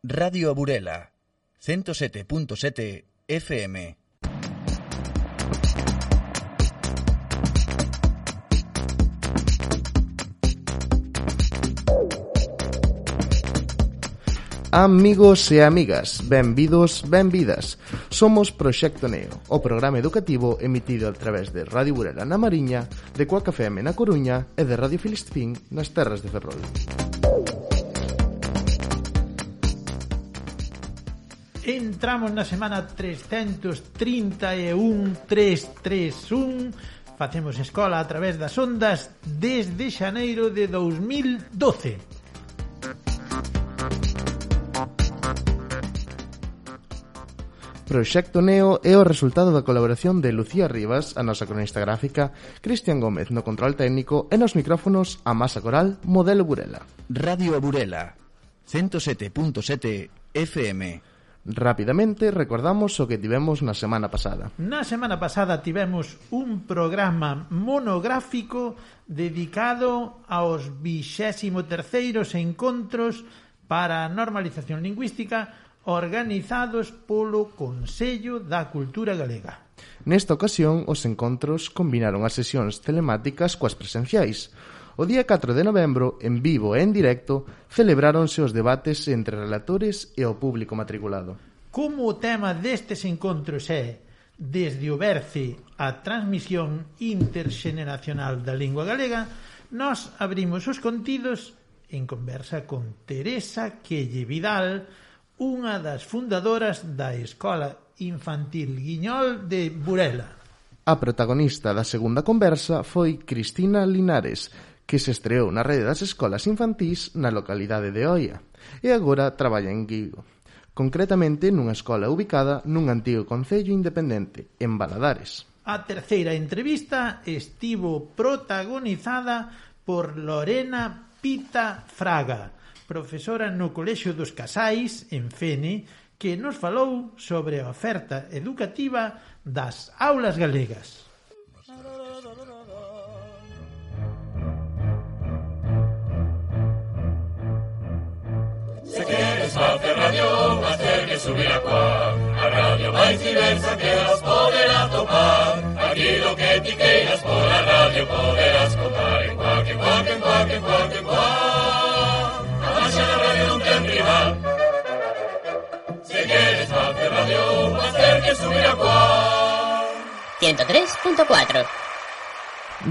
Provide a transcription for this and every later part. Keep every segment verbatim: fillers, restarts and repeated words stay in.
Radio Burela, ciento sete punto sete F M. Amigos e amigas, benvidos, benvidas. Somos Proxecto Neo, o programa educativo emitido a través de Radio Burela na Mariña, de Cuac F M na Coruña e de Radio Filispín nas terras de Ferrol. Entramos na semana trescentos trinta e un, trescentos treinta e un. Facemos escola a través das ondas desde xaneiro de dous mil doce. Proxecto Neo é o resultado da colaboración de Lucía Rivas, a nosa cronista gráfica, Cristian Gómez no control técnico e nos micrófonos a Masa Coral, Modelo Burela. Radio Burela, ciento sete punto sete F M. Rapidamente recordamos o que tivemos na semana pasada. Na semana pasada tivemos un programa monográfico dedicado aos vixésimo terceiros encontros para a normalización lingüística organizados polo Consello da Cultura Galega. Nesta ocasión, os encontros combinaron as sesións telemáticas coas presenciais. O día catro de novembro, en vivo e en directo, celebráronse os debates entre relatores e o público matriculado. Como o tema destes encontros é, desde o berce a transmisión interxeneracional da lingua galega, nós abrimos os contidos en conversa con Teresa Quelle Vidal, unha das fundadoras da Escola Infantil Guiñol de Burela. A protagonista da segunda conversa foi Cristina Linares, que se estreou na rede das escolas infantís na localidade de Oia e agora traballa en Guigo, concretamente nunha escola ubicada nun antigo concello independente, en Valadares. A terceira entrevista estivo protagonizada por Lorena Pita Fraga, profesora no Colexio dos Casais, en Fene, que nos falou sobre a oferta educativa das aulas galegas. Se queres facer radio, vas ter que subir a Cuac, a radio máis diversa que as poderás topar. Aquilo que ti queiras por a radio poderás contar en Cuac, en Cuac, en Cuac, en Cuac, en Cuac. A marcha da radio non ten rival. Se queres facer radio, vas ter que subir a Cuac. ciento tres punto cuatro.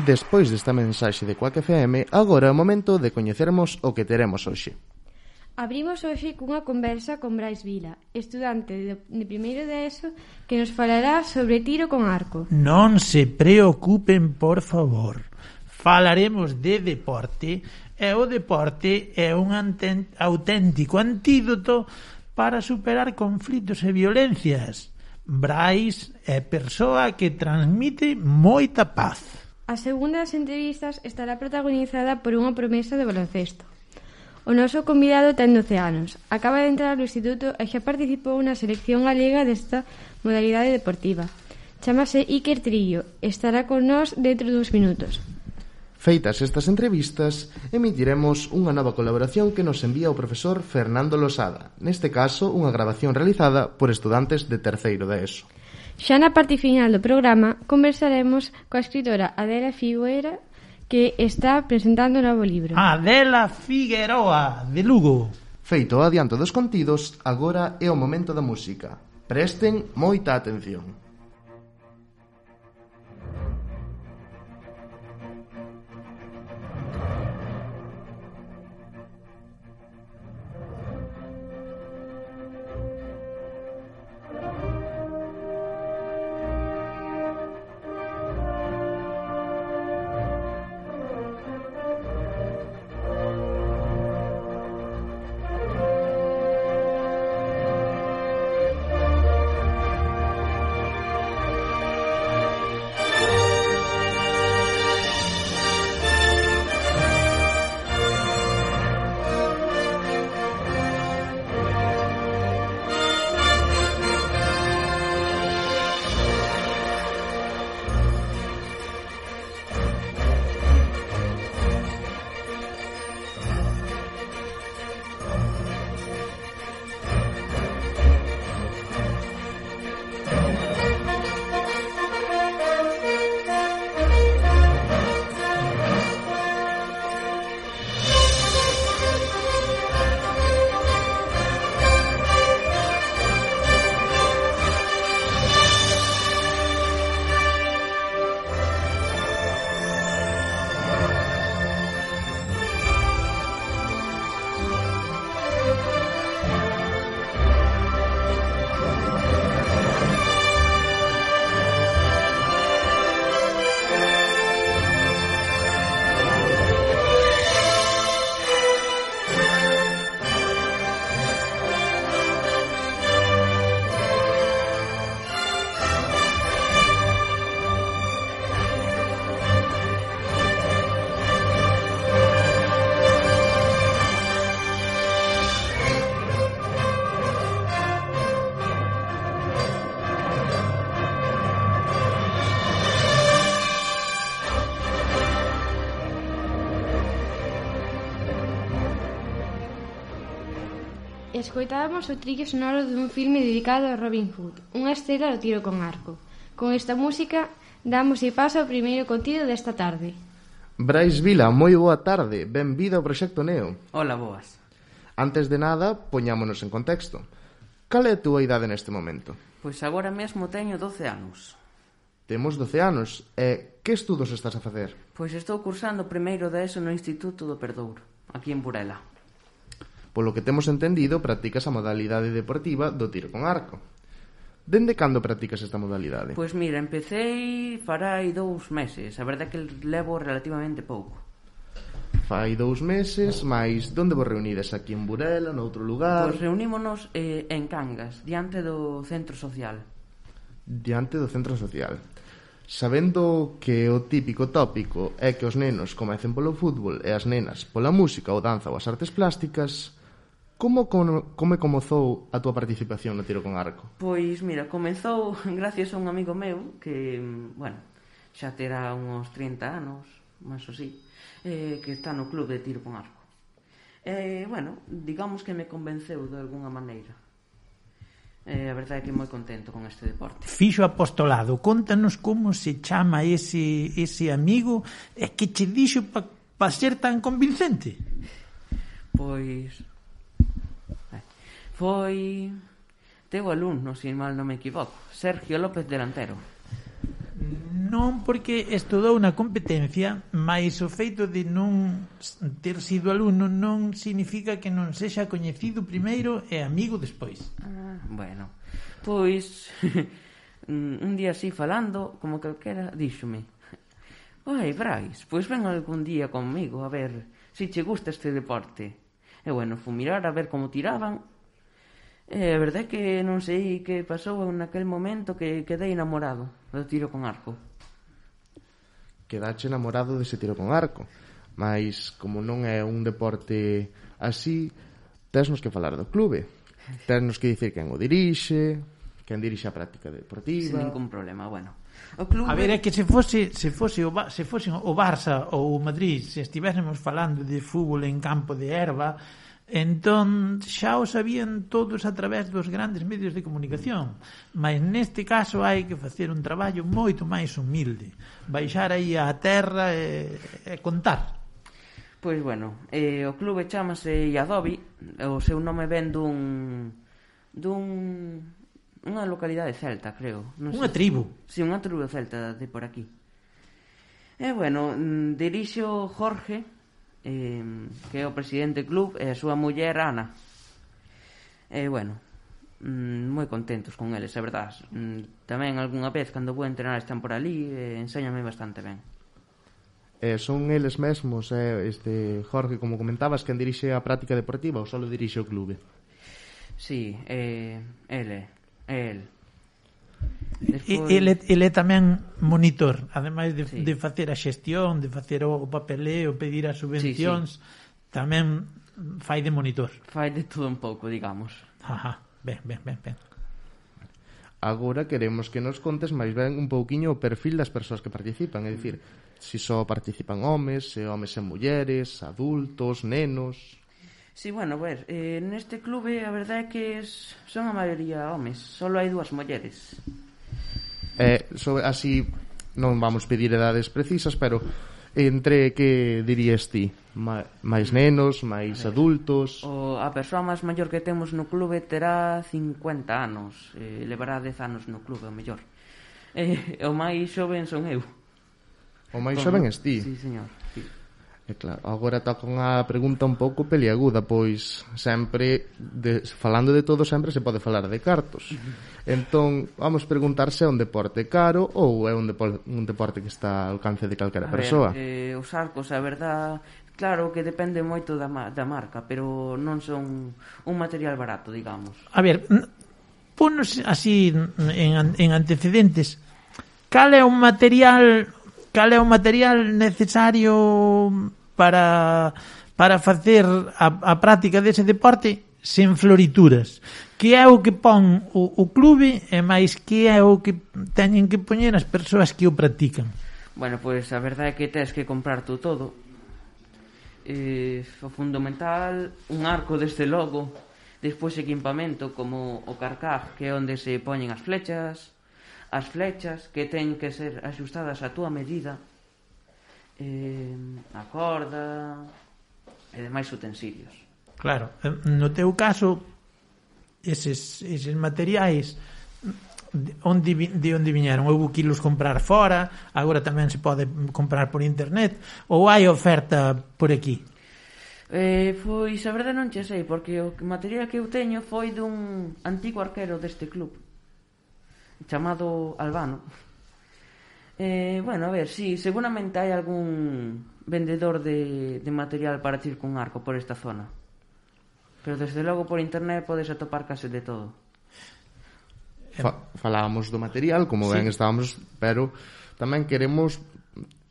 Despois desta mensaxe de Cuac F M, agora é o momento de coñecermos o que teremos hoxe. Abrimos hoxe cunha conversa con Brais Vila, estudante de, de primeiro de ESO, que nos falará sobre tiro con arco. Non se preocupen, por favor. Falaremos de deporte, e o deporte é un anten- auténtico antídoto para superar conflitos e violencias. Brais é persoa que transmite moita paz. A segunda das entrevistas estará protagonizada por unha promesa de baloncesto. O noso convidado ten doce anos, acaba de entrar ao instituto e xa participou na selección galega desta modalidade deportiva. Chámase Iker Trillo, estará con nós dentro duns minutos. Feitas estas entrevistas, emitiremos unha nova colaboración que nos envía o profesor Fernando Losada, neste caso unha grabación realizada por estudantes de terceiro de ESO. Xa na parte final do programa conversaremos coa escritora Adela Figueira, que está presentando o novo libro. Adela Figueroa, de Lugo. Feito o adianto dos contidos, agora é o momento da música. Presten moita atención. Escoitábamos o trillo sonoro dun filme dedicado a Robin Hood, unha estrela do tiro con arco. Con esta música damos e paso ao primeiro contido desta tarde. Brais Vila, moi boa tarde, benvido ao Proxecto Neo. Hola, boas. Antes de nada, poñámonos en contexto. Cal é a túa idade neste momento? Pois agora mesmo teño doce anos. Temos doce anos, e que estudos estás a facer? Pois estou cursando o primeiro de eso no Instituto do Perdouro, aquí en Burela. Polo que temos entendido, practicas a modalidade deportiva do tiro con arco. Dende cando practicas esta modalidade? Pois mira, empecei farai dous meses, a verdade é que levo relativamente pouco. Fai dous meses, mais donde vos reunides? Aquí en Burela, noutro lugar? Pois reunímonos eh, en Cangas, diante do centro social. Diante do centro social. Sabendo que o típico tópico é que os nenos comecen polo fútbol e as nenas pola música ou danza ou as artes plásticas, como, como, como comezou a túa participación no tiro con arco? Pois mira, comezou gracias a un amigo meu que, bueno, xa terá uns trinta anos, máis ou así, eh, que está no club de tiro con arco. E, eh, bueno, digamos que me convenceu de alguna maneira. Eh, a verdade é que moi contento con este deporte. Fixo apostolado, contanos como se chama ese, ese amigo e que che dixo para pa ser tan convincente. Pois foi teu alumno, se mal non me equivoco, Sergio López Delantero. Non porque estudou na competencia, mais o feito de non ter sido alumno non significa que non sexa coñecido primeiro e amigo despois. Ah, bueno, pois un día así falando, como calquera, díxome: "Ai, Brais, pois ven algún día conmigo a ver se che gusta este deporte." E bueno, fui mirar a ver como tiraban. E a verdade é que non sei que pasou naquel momento que quedei enamorado do tiro con arco. Quedache enamorado dese tiro con arco, mas como non é un deporte así, tesnos que falar do clube, tesnos que dicir quen o dirixe, quen dirixe a práctica deportiva. Sin ningún problema, bueno. O clube... A ver, é que se fose se fose o se fose o Barça ou o Madrid, se estivésemos falando de fútbol en campo de herba, entón xa o sabían todos a través dos grandes medios de comunicación, mas neste caso hai que facer un traballo moito máis humilde, baixar aí á terra e, e contar. Pois bueno, eh, o clube chamase Iadobi, o seu nome ven dun dun unha localidade celta, creo. Non unha sei. tribu. Si, sí, unha tribu celta de por aquí. E bueno, dirixo Jorge, Eh, que é o presidente do club, e a súa muller Ana. E bueno, mm, moi contentos con eles, é verdade. Mm, tamén algunha vez cando vou entrenar están por ali e enséñame bastante ben. Eh, son eles mesmos, eh, este Jorge, como comentabas, quen dirixe a práctica deportiva ou só dirixe o clube? Si, sí, eh, ele, el. Despois... Ele, ele é tamén monitor, ademais de, sí. de facer a xestión, de facer o papeleo, pedir as subvencións, sí, sí. tamén fai de monitor. Fai de todo un pouco, digamos. Ajá, ben, ben, ben, ben. Agora queremos que nos contes máis ben un pouquiño o perfil das persoas que participan, é dicir, se só participan homes, se homes e mulleres, adultos, nenos... Sí, bueno, a ver, eh, neste clube a verdade é que es, son a maioría homes, só hai dúas mulleres. Eh, sobre, así non vamos pedir edades precisas, pero entre que dirías ti? Ma, máis nenos, máis adultos? O, a persoa máis maior que temos no clube terá cincuenta anos, eh, levará dez anos no clube, o mellor. Eh, o máis xoven son eu. O máis xoven es ti? Sí, señor, sí. E claro, agora toca unha pregunta un pouco peliaguda, pois sempre, de, falando de todo, sempre se pode falar de cartos. Entón, vamos preguntar se é un deporte caro ou é un, depo- un deporte que está ao alcance de calquera a persoa. Ver, eh, os arcos, a verdad, claro que depende moito da, ma- da marca, pero non son un material barato, digamos. A ver, ponos así en, en antecedentes, cal é o material cal é o material necesario para para facer a, a práctica dese deporte sen florituras? Que é o que pon o, o clube e máis que é o que teñen que poñer as persoas que o practican? Bueno, pois a verdade é que tes que comprar tú todo. Eh, o fundamental, un arco desde logo, Despois equipamento como o carcaj, que é onde se poñen as flechas, as flechas que teñen que ser axustadas a túa medida, eh, a corda e demais utensilios. Claro, no teu caso, eses, eses materiais de onde, de onde viñeron? Houve que los comprar fora, agora tamén se pode comprar por internet, ou hai oferta por aquí? Eh, pois a verdade non che sei, porque o material que eu teño foi dun antigo arquero deste club chamado Albano. Eh, bueno, a ver, si, sí, seguramente hai algún vendedor de, de material para tir cun arco por esta zona, pero desde logo por internet podes atopar case de todo. Fa, falábamos do material, como sí. ben estábamos, pero tamén queremos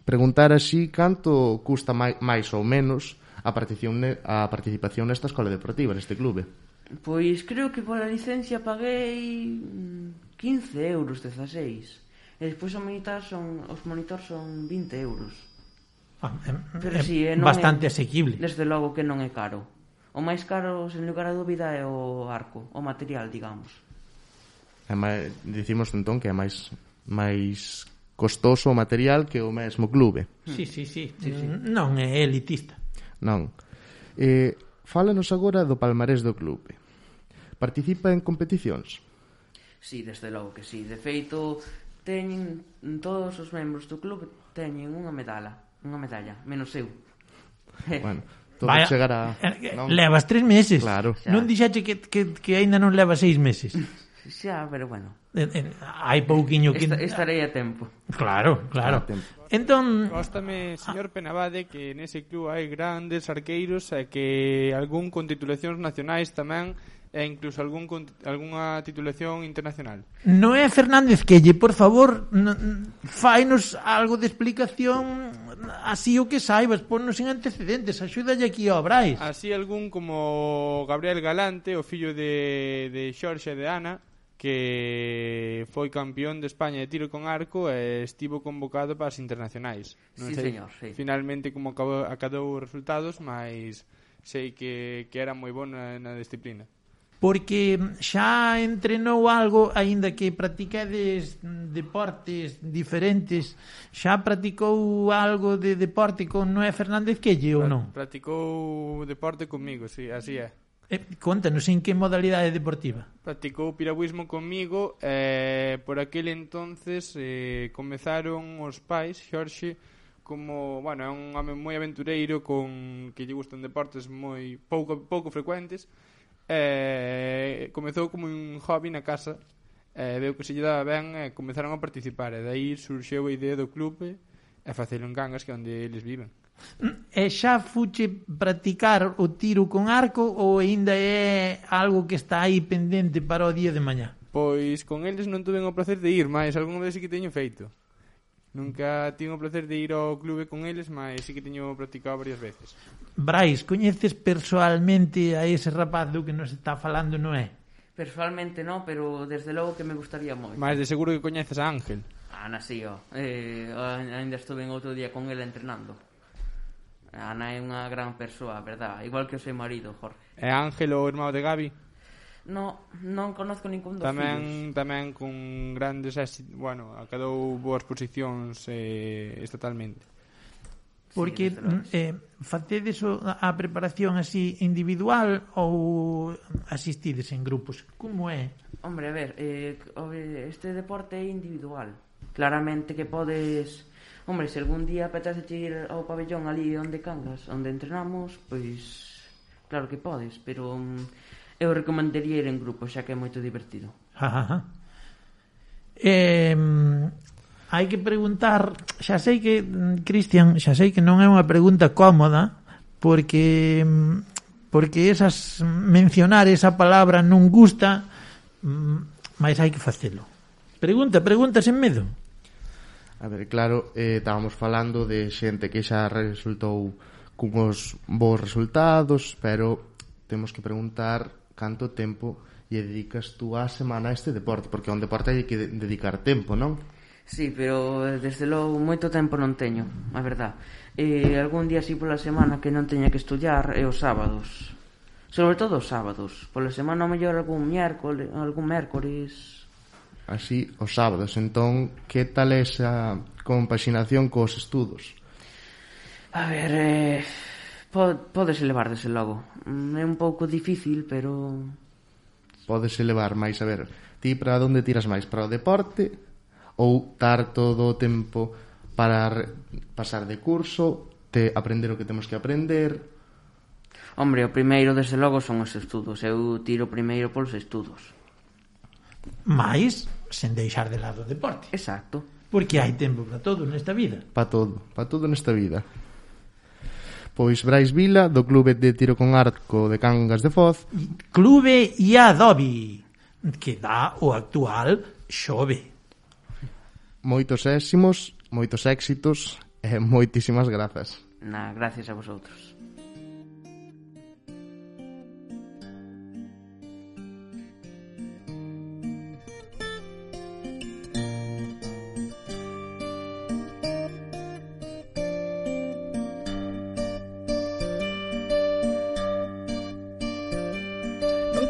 preguntar así canto custa máis, máis ou menos a participación, a participación nesta escola deportiva, neste clube. Pois creo que pola licencia paguei quince euros, dezaseis. E despois os monitores son, os monitores son vinte euros. Ah, é, Pero é si, é, non bastante é, asequible. Desde logo que non é caro. O máis caro, sen lugar a dúbida, é o arco, o material, digamos. É máis, dicimos entón que é máis máis costoso o material que o mesmo clube. Sí, sí, sí, sí, sí. Non é elitista. Non. Eh, fálanos agora do palmarés do clube. Participa en competicións? Sí, desde logo que sí. De feito, teñen todos os membros do clube teñen unha medalla, unha medalla, menos eu. Bueno, todo Vaya, chegar a... Non? Levas tres meses. Claro. Xa. Non dixache que, que, que aínda non leva seis meses. Xa, pero bueno. En, en, hai pouquiño que... Esta, estarei a tempo. Claro, claro. Tempo. Entón, Góstame, señor Penabade, que nese club hai grandes arqueiros e que algún con titulacións nacionais tamén e incluso algún con, algunha titulación internacional. Noé Fernández Quelle, por favor, n- fainos algo de explicación así o que saibas, ponnos en antecedentes, axúdalle aquí ao Brais. Así algún como Gabriel Galante, o fillo de, de Xorxe e de Ana, que foi campeón de España de tiro con arco e estivo convocado para as internacionais. Non Sí, sei señor, sí. finalmente como acabou, acadou os resultados, mas sei que, que era moi bon na, na disciplina. Porque xa entrenou algo, aínda que practicades deportes diferentes, xa practicou algo de deporte con Noé Fernández Quelle ou non? Practicou deporte comigo, sí, así é. Eh, contanos en que modalidade deportiva. Practicou piragüismo comigo e eh, por aquel entonces eh, comezaron os pais, Xorxe, como, bueno, é un home moi aventureiro con que lle gustan deportes moi pouco pouco frecuentes. Eh, comezou como un hobby na casa, eh, veu que se lle daba ben e comezaron a participar e daí surxeu a idea do clube e facelo en Cangas, que é onde eles viven. E xa fuche practicar o tiro con arco ou aínda é algo que está aí pendente para o día de mañá? Pois con eles non tuve o placer de ir, mas algún vez sí que teño feito. Nunca tivo o placer de ir ao clube con eles, mas sí que teño practicado varias veces. Brais, coñeces persoalmente a ese rapaz do que nos está falando, non é? Personalmente non, pero desde logo que me gustaría moito. Mas de seguro que coñeces a Ángel. Ana, sí, ó. Eh, ainda estuve en outro día con ela entrenando. Ana é unha gran persoa, verdad? Igual que o seu marido, Jorge. E Ángel, o irmão de Gabi? No, non conozco ningún dos Tamén fillos. tamén con grandes éxitos, bueno, acadou boas posicións eh, estatalmente. Porque Sí, desde logo. eh, facedes o- a preparación así individual ou asistides en grupos? Como é? Hombre, a ver, eh, este deporte é individual. Claramente que podes... Hombre, se algún día apetece ir ao pabellón ali onde Cangas, onde entrenamos, pois claro que podes, pero um, eu recomendaría ir en grupo, xa que é moito divertido. Ajá. Eh, hai que preguntar, xa sei que, mm, Cristian, xa sei que non é unha pregunta cómoda, porque mm, porque esas mencionar esa palabra non gusta, mm, mas hai que facelo. Pregunta, pregunta sen medo. A ver, claro, eh, estábamos falando de xente que xa resultou cunhos bons resultados, pero temos que preguntar canto tempo lle dedicas tú á semana a este deporte, porque a un deporte hai que de- dedicar tempo, non? Sí, pero eh, desde logo moito tempo non teño, a verdad. E algún día así pola semana que non teña que estudiar é os sábados. Sobre todo os sábados. Pola semana, ao mellor, algún miércoles, algún mércores. Así, os sábados. Entón, que tal esa compaxinación cos estudos? A ver, eh, podes elevar desde logo. É un pouco difícil, pero... Podes elevar máis, a ver, ti para onde tiras máis? Para o deporte ou dar todo o tempo para re, pasar de curso, te aprender o que temos que aprender? Hombre, o primeiro, desde logo, son os estudos. Eu tiro primeiro polos estudos. Mais, sen deixar de lado o deporte. Exacto. Porque hai tempo para todo nesta vida. Para todo, para todo nesta vida. Pois Brais Vila, do Clube de Tiro con Arco de Cangas de Foz. Clube Iadobi, que dá o actual Xove. Moitos éximos, moitos éxitos e moitísimas grazas. Na, gracias a vosotros.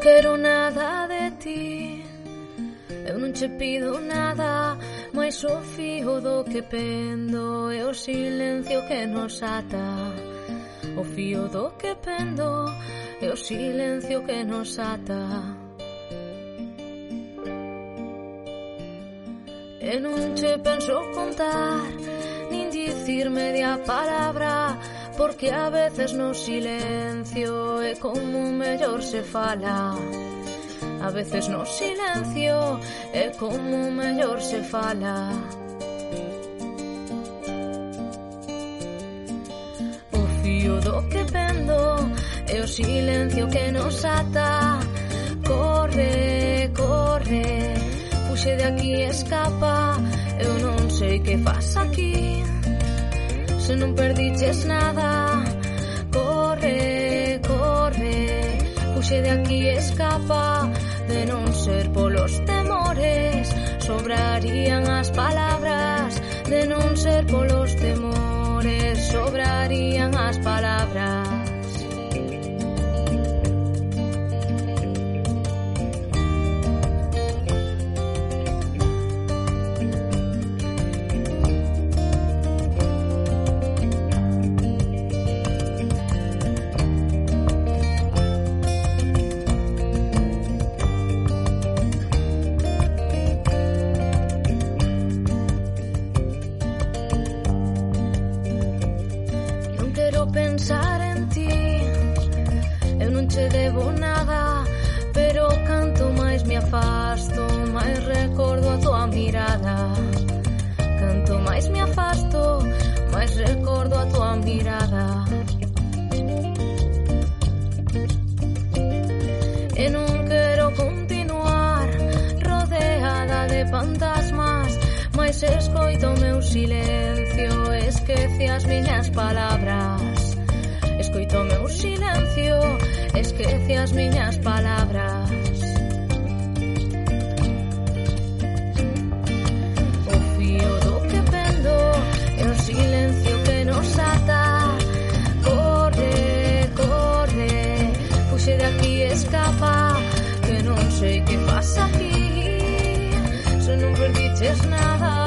Quero nada de ti, eu non che pido nada, mais o fío do que pendo é o silencio que nos ata. O fío do que pendo é o silencio que nos ata. E non che penso contar, nin dicir media palabra, porque a veces no silencio é como mellor se fala. A veces no silencio é como mellor se fala. O fío do que pendo é o silencio que nos ata. Corre, corre, fuxe de aquí, escapa. Eu non sei que faz aquí, se non perdiches nada. Corre, corre, fuxe de aquí, escapa. De non ser polos temores, sobrarían as palabras. De non ser polos temores, sobrarían as palabras. Pensar en ti, eu non che debo nada, pero canto máis me afasto, máis recordo a tua mirada. Canto máis me afasto, máis recordo a tua mirada. E non quero continuar rodeada de fantasmas, mais escoito o meu silencio, esquece as miñas palabras. Escoito o meu silencio, esquece as miñas palabras. O fío do que pendo é o silencio que nos ata. Corre, corre, fuxe de aquí, escapa. Que non sei que faz aquí, se non perdiches nada.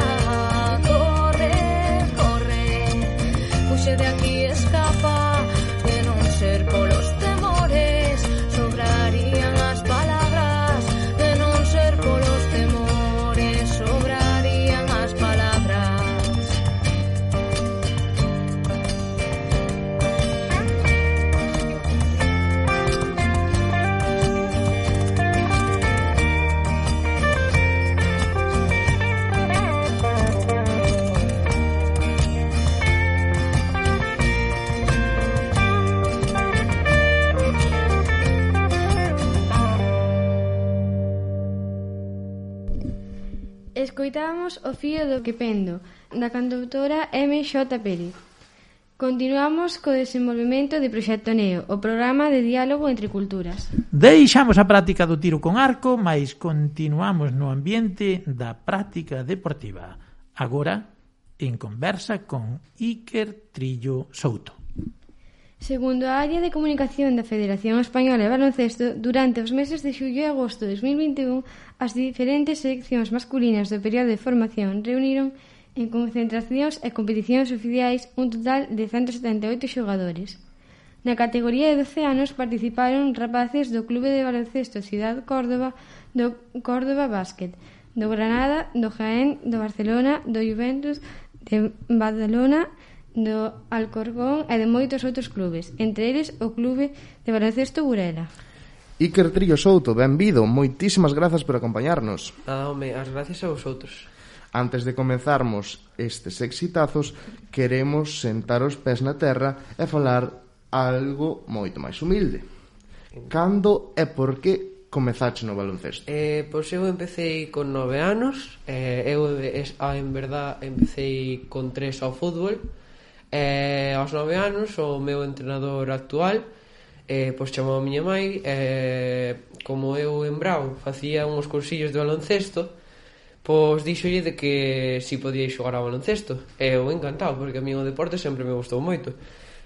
Corre, corre, fuxe de aquí, escapa. Ser polos temores, sobrarían as palabras. De non ser polos temores, sobrarían as palabras. Escoitamos o fío do que pendo, da cantautora M X Pérez. Continuamos co desenvolvemento de Proxecto Neo, o programa de diálogo entre culturas. Deixamos a práctica do tiro con arco, mais continuamos no ambiente da práctica deportiva. Agora, en conversa con Iker Trillo Souto. Segundo a área de comunicación da Federación Española de Baloncesto, durante os meses de xullo e agosto de dos mil vinte e un, as diferentes seleccións masculinas do período de formación reuniron en concentracións e competicións oficiais un total de ciento setenta e oito xogadores. Na categoría de doce anos participaron rapaces do Clube de Baloncesto Ciudad Córdoba, do Córdoba Básquet, do Granada, do Jaén, do Barcelona, do Juventus, de Badalona, do Alcorcón e de moitos outros clubes, entre eles o Clube de Baloncesto Burela. Iker Trillo Souto, benvido, moitísimas grazas por acompañarnos. Nada, home, as gracias a vosotros. Antes de comenzarmos estes exitazos, queremos sentar os pés na terra e falar algo moito máis humilde. Cando e por que comezaste no baloncesto? Eh, pois eu empecé con nove anos, eh, eu en verdad empecé con tres ao fútbol. E aos nove anos o meu entrenador actual eh, pois chamou a miña mãe, eh, como eu en Brao facía uns cursillos de baloncesto, pois díxolle de que si podía xogar ao baloncesto, e eu encantado porque a mí o deporte sempre me gustou moito.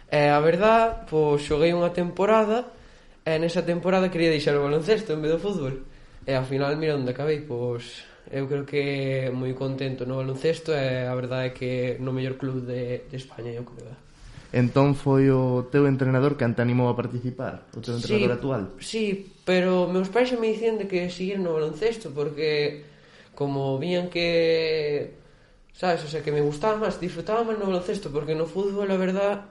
E a verdad, pois xoguei unha temporada e nesa temporada quería deixar o baloncesto en vez do fútbol, e ao final mira onde acabei. Pois eu creo que moi contento no baloncesto e a verdade é que no mellor club de, de España, eu creo. Entón foi o teu entrenador que te animou a participar, o teu entrenador sí, actual? Sí, pero meus pais xa me dicían de que seguir no baloncesto porque como vían que, sabes, o sea, que me gustaba máis, disfrutaba máis no baloncesto, porque no fútbol a verdad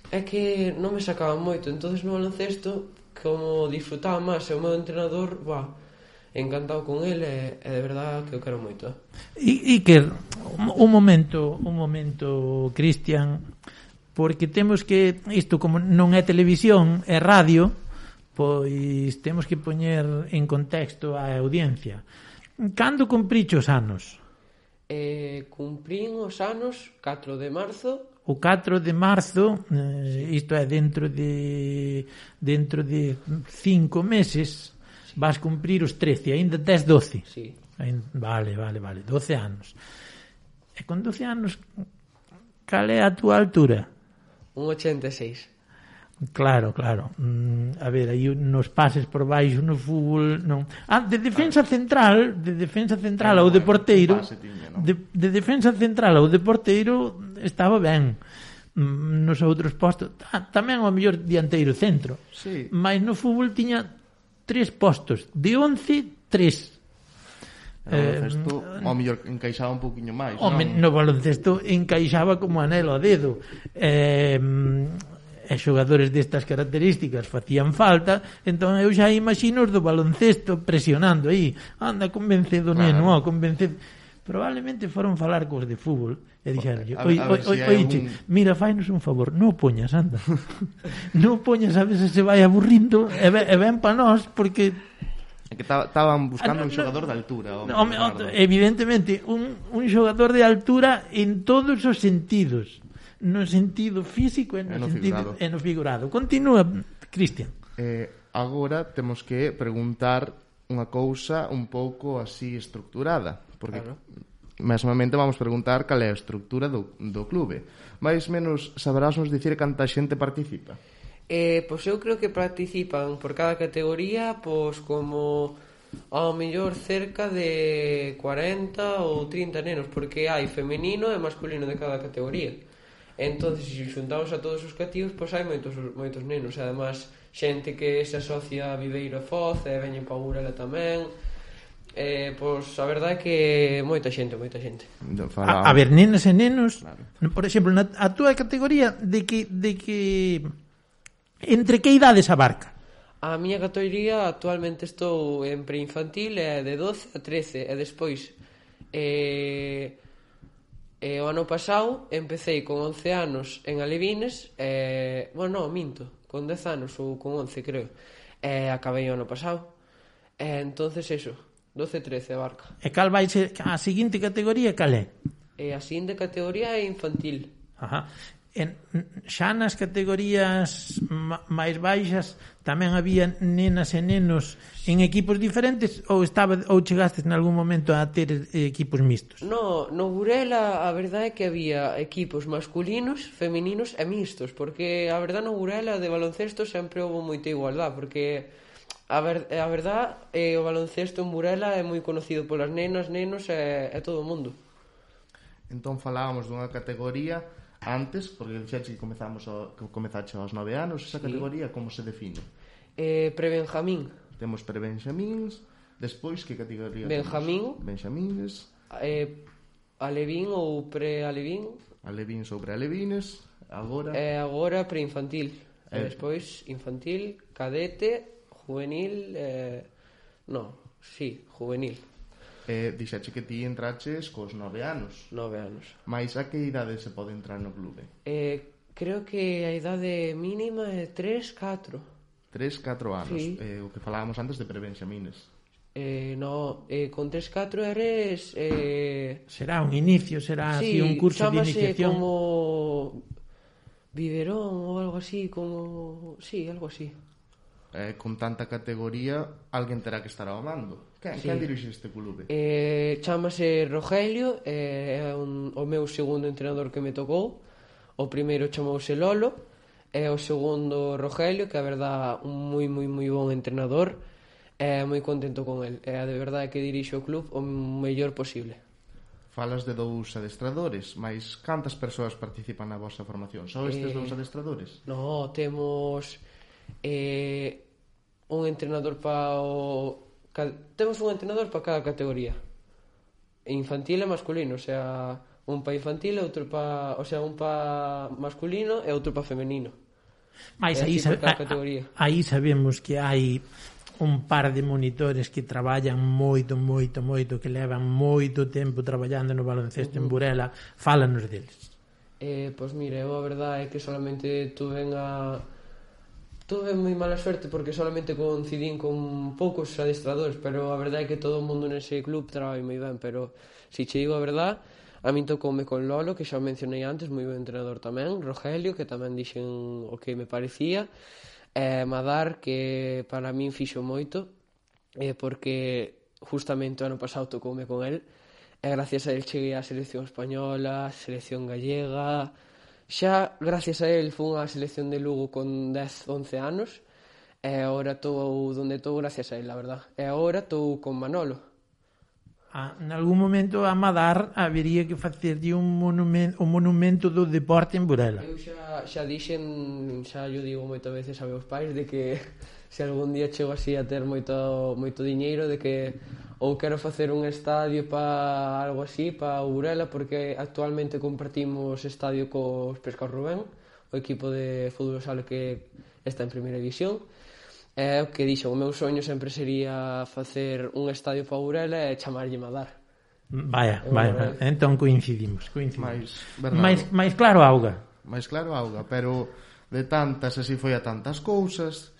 é que non me sacaban moito. Entonces no baloncesto como disfrutaba máis e o meu entrenador, buah, encantado con ele e, e de verdad que o quero moito. I, Iker, un momento, un momento, Cristian, porque temos que, isto como non é televisión, é radio, pois temos que poñer en contexto a audiencia. Cando cumpriche os anos? Eh, cumprín os anos catro de marzo. O catro de marzo, eh, isto é dentro de dentro de cinco meses, vas cumprir os trece, ainda tes doce. Sí. Vale, vale, vale, doce anos. E con doce anos, cal é a túa altura? un ochenta e seis. Claro, claro. Mm, a ver, aí nos pases por baixo no fútbol, non. Ah, de defensa central, de defensa central ao de porteiro, de, de defensa central ao de porteiro estaba ben. Nos outros postos, tamén o mellor dianteiro centro. Sí. Mas no fútbol tiña tres postos, de once, tres. No baloncesto, eh, ao mellor encaixaba un poquinho máis, home, non? No baloncesto encaixaba como anelo ao dedo. Eh, e xogadores destas características facían falta, entón eu xa imagino os do baloncesto presionando aí, anda, convence do neno, claro. oh, convence... Probablemente foron falar cos de fútbol e dixeron, oi, oi, oi, algún... mira, fainos un favor, non poñas, anda. Non poñas, a veces se vai aburrindo e ben, e ben pa nós, porque que estaban buscando ah, no, un xogador no, de altura. No, evidentemente, un, un xogador de altura en todos os sentidos, no sentido físico e no, no sentido e no figurado. Continúa, Cristian. Eh, agora temos que preguntar unha cousa un pouco así estructurada, porque claro. Mesmamente vamos preguntar cal é a estructura do, do clube. Mais menos saberás nos dicir canta xente participa? Eh, pois eu creo que participan por cada categoría pois como ao mellor cerca de cuarenta ou trinta nenos, porque hai femenino e masculino de cada categoría. Entonces, se xuntamos a todos os cativos, pois hai moitos, moitos nenos. E además, xente que se asocia a Viveiro e Foz e veñen pa Burela tamén. Eh, pois a verdade é que moita xente, moita xente. A, a ver, nenas e nenos, claro. Por exemplo, na, a túa categoría de que de que entre que idades abarca? A miña categoría actualmente estou en preinfantil e de doce a trece e despois eh, eh, o ano pasado empecé con once anos en Alevines e, bueno, non, minto, con dez anos ou con once creo, e acabei o ano pasado e entonces eso, doce a trece abarca. E cal vai ser a seguinte categoría, cal é? E a seguinte categoría é infantil. Ajá. En, xa nas categorías ma, máis baixas tamén había nenas e nenos en equipos diferentes ou estaba ou chegastes en algún momento a ter equipos mixtos? No, no Burela a verdade é que había equipos masculinos, femininos e mixtos, porque a verdade no Burela de baloncesto sempre houve moita igualdade, porque a, ver, a verdade é o baloncesto en Burela é moi conocido polas nenas, nenos e, e todo o mundo. Entón falábamos dunha categoría antes, porque dixeche que comezamos o, que comezache aos nove anos, esa categoría sí. Como se define? Eh, pre-Benjamín. Temos pre-Benjamíns, despois que categoría Benjamín, temos? Benjamines, eh, Alevín ou pre-Alevín, Alevín sobre Alevines, agora e agora pre-infantil, eh. e despois infantil, cadete, juvenil, eh, no, sí, juvenil. Eh, dixache que ti entraches cos nove anos. Nove anos. Mais a que idade se pode entrar no clube? Eh, creo que a idade mínima é tres, catro. tres, catro anos. Sí. Eh, o que falábamos antes de pre-Benjamines. Eh, no, eh, con tres, catro eres... Eh... Será un inicio, será sí, así un curso de iniciación. Como biberón ou algo así, como... Sí, algo así. Eh, con tanta categoría, alguén terá que estar ao mando. Quen, sí. Quen dirixe este clube? Eh, chamase Rogelio, eh, é un, o meu segundo entrenador que me tocou. O primeiro chamouse Lolo, e o segundo Rogelio, que a verdad un moi moi moi bon entrenador, e moi contento con el. É de verdade que dirixe o club o mellor posible. Falas de dous adestradores, mas cantas persoas participan na vosa formación? Só estes eh, dous adestradores? No, temos eh, un entrenador para o... Temos un entrenador para cada categoría. Infantil e masculino, o sea, un para infantil e outro para... O sea, un para masculino e outro para femenino. Mais aí, sab aí sabemos que hai un par de monitores que traballan moito, moito, moito, que levan moito tempo traballando no baloncesto uh -huh. en Burela. Fálanos deles. Eh, pois mira, eu a verdade é que solamente tuve a... Tuve moi mala suerte porque solamente coincidín con poucos adestradores, pero a verdade é que todo o mundo nese club traballa moi ben, pero se che digo a verdade, a min tocoume con Lolo, que xa o mencionei antes, moi ben entrenador tamén, Rogelio, que tamén dixen o que me parecía, e Madar, que para min fixo moito, eh, porque justamente o ano pasado tocoume con el, e gracias a él cheguei á selección española, selección gallega. Xa, gracias a él, fui á selección de Lugo con dez, once anos, e agora estou onde estou gracias a él, la verdad. E agora estou con Manolo. Ah, en algún momento a Madar habería que facerlle un monumento, un monumento do deporte en Burela. Eu xa, xa dixen, xa yo digo moitas veces a meus pais de que se algún día chego así a ter moito, moito diñeiro, de que ou quero facer un estadio para algo así, para Burela, porque actualmente compartimos estadio cos Pescaos Rubén, o equipo de fútbol sala que está en primeira división. É o que dixo, o meu soño sempre sería facer un estadio para Burela e chamarlle Madar. Vaya, vaya, entón coincidimos, coincidimos. Mais, máis, máis claro auga. Máis claro auga, pero de tantas, así foi a tantas cousas,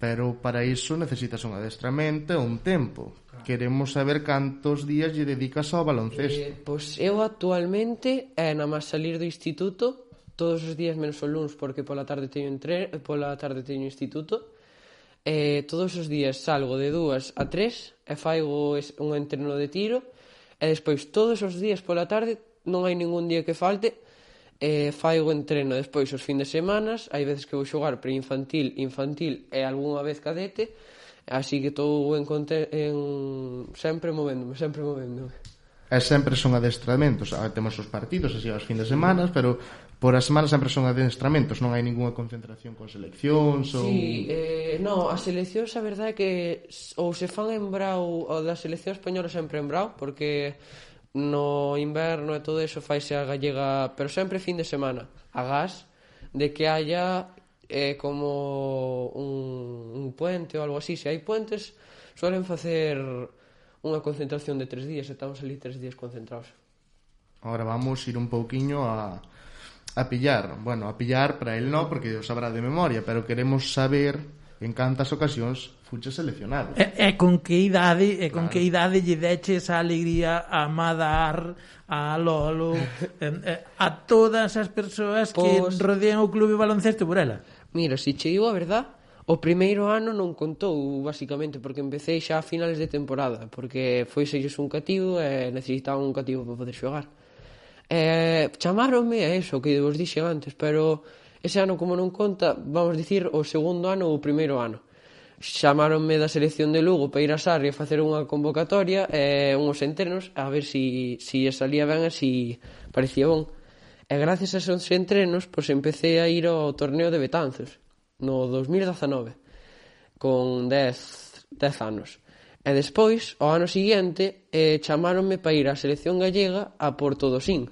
pero para iso necesitas un adestramento e un tempo. Queremos saber cantos días lle dedicas ao baloncesto. Eh, pois eu actualmente, é na máis salir do instituto, todos os días menos o luns, porque pola tarde teño entre... pola tarde teño instituto, eh, todos os días salgo de dúas a tres e faigo un entreno de tiro, e despois todos os días pola tarde, non hai ningún día que falte, eh, faigo entreno despois os fins de semanas, hai veces que vou xogar pre-infantil, infantil e algunha vez cadete, así que estou en, en sempre movéndome, sempre movéndome. E sempre son adestramentos, temos os partidos así aos fins de semanas, pero por a semana sempre son adestramentos, non hai ninguna concentración con seleccións ou... Sí, eh, no, as seleccións a verdade é que ou se fan en Brao, ou da selección española sempre en Brao, porque no inverno e todo eso faise a gallega, pero sempre fin de semana, agás de que haya eh, como un, un puente ou algo así. Se hai puentes, suelen facer unha concentración de tres días, e estamos ali tres días concentrados. Ahora vamos ir un pouquiño a, a pillar. Bueno, a pillar para el no, porque o sabrá de memoria, pero queremos saber en cantas ocasións fuche seleccionado. E, e con que idade, e con claro. que idade lle deches a alegría a Madar, a Lolo, eh, a todas as persoas que pues, rodean o clube baloncesto por ela? Mira, se che digo a verdad, o primeiro ano non contou, basicamente, porque empecé xa a finales de temporada, porque foi selles un cativo e necesitaban un cativo para poder xogar. E chamaronme a eso, que vos dixe antes, pero ese ano, como non conta, vamos dicir, o segundo ano ou o primeiro ano. Chamaronme da selección de Lugo para ir a Sarria a facer unha convocatoria e unhos entrenos, a ver si, si salía ben e si parecía bon. E gracias a esos entrenos, pois empecé a ir ao torneo de Betanzos, no dos mil dezanove, con dez anos. E despois, ao ano seguinte, eh, chamaronme para ir á selección gallega a Porto do Sin,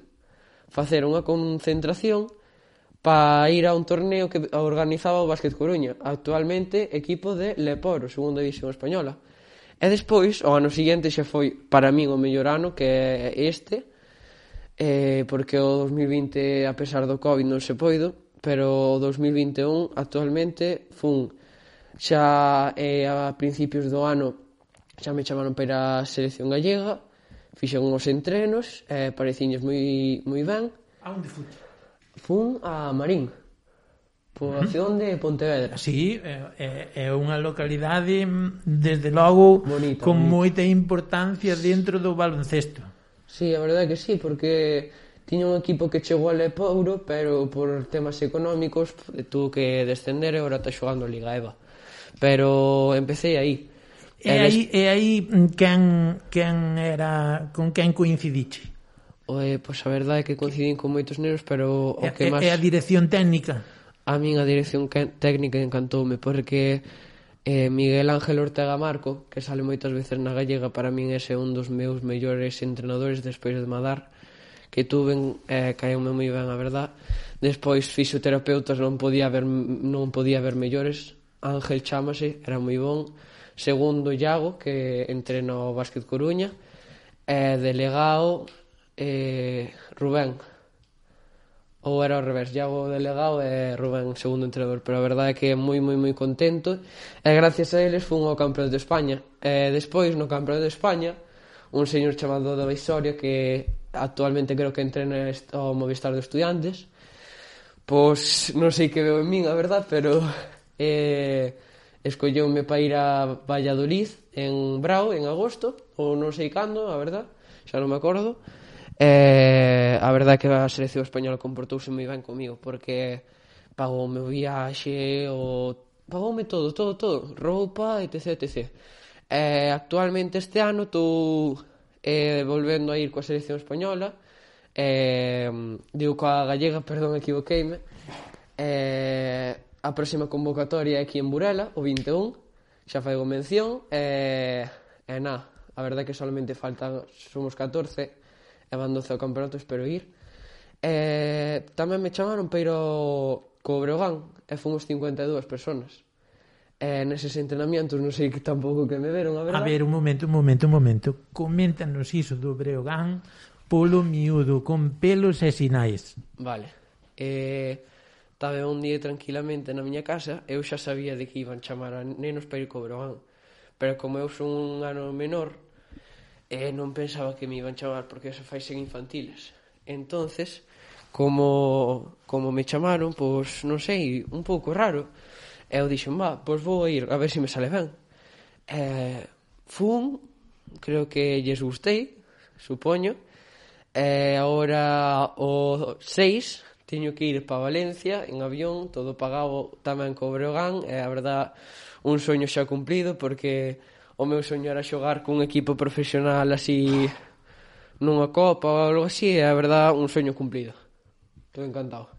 facer unha concentración para ir a un torneo que organizaba o Básquet Coruña, actualmente equipo de Leporo, segunda división española. E despois, ao ano seguinte, xa foi para min o mellor ano, que é este, eh, porque o dos mil vinte, a pesar do Covid, non se poido, pero o dos mil vinte e un actualmente fun xa eh, a principios do ano xa me chamaron para ir a selección gallega, fixen uns entrenos, eh, pareciños moi, moi ben. A onde fuste? Fun a Marín, poboación uh-huh. de Pontevedra. Sí, é, é unha localidade desde logo bonita, con bonita. Moita importancia dentro do baloncesto. Sí, a verdade que sí, porque tiña un equipo que chegou a Lepouro, pero por temas económicos tuvo que descender e agora está xogando a Liga EVA. Pero empecé aí. E aí, e aí quen, quen era, con quen coincidiche? Eh, pois a verdade é que coincidín con moitos neros, pero o que máis... É a dirección técnica? A min a dirección técnica encantoume, porque eh, Miguel Ángel Ortega Marco, que sale moitas veces na gallega, para min ese é un dos meus mellores entrenadores despois de Madar, que tuven, eh, caeume moi ben, a verdad. Despois fisioterapeutas non podía haber, non podía haber mellores. Ángel chámase, era moi bon. Segundo, Iago, que entrena o Básquet Coruña. E delegado, eh, Rubén. Ou era ao revés, Iago delegado e Rubén segundo entrenador. Pero a verdade é que é moi, moi, moi contento. E gracias a eles fun ao Campeonato de España. E despois, no Campeonato de España, un señor chamado David Soria, que actualmente creo que entrena ao Movistar de Estudiantes, pois non sei que veo en min, a verdad, pero eh, escolleume para ir a Valladolid en Brao en agosto, ou non sei cando, a verdad, xa non me acordo. Eh, a verdad é que a selección española comportouse moi ben comigo, porque pagou o meu viaxe, o... pagoume todo, todo, todo, roupa, etc, etc. Eh, actualmente este ano estou eh, volvendo a ir coa selección española, eh, digo coa gallega, perdón, equivoqueime. Eh, a próxima convocatoria é aquí en Burela, o vinte e un, xa faigo mención, e, e na, a verdade é que solamente faltan, somos catorce, e van doce ao campeonato, espero ir. E tamén me chamaron para ir ao Breogán, e fomos cincuenta e dúas personas. E neses entrenamientos non sei que tampouco que me veron, a verdade. A ver, un momento, un momento, un momento. Coméntanos iso do Breogán polo miúdo, con pelos e sinais. Vale. Eh, estaba un día tranquilamente na miña casa, eu xa sabía de que iban chamar a nenos para ir co Breogán. Pero como eu son un ano menor, eh, non pensaba que me iban chamar, porque eso faise en infantiles. Entonces, como, como me chamaron, pois, non sei, un pouco raro. E eu dixen, va, pois vou a ir, a ver se me sale ben. E fun, creo que lles gustei, supoño. E agora o seis teño que ir para Valencia en avión, todo pagado tamén co Breogán. E a verdad, un soño xa cumplido, porque o meu soño era xogar cun equipo profesional así nunha copa ou algo así. E a verdad, un soño cumplido. Estou encantado.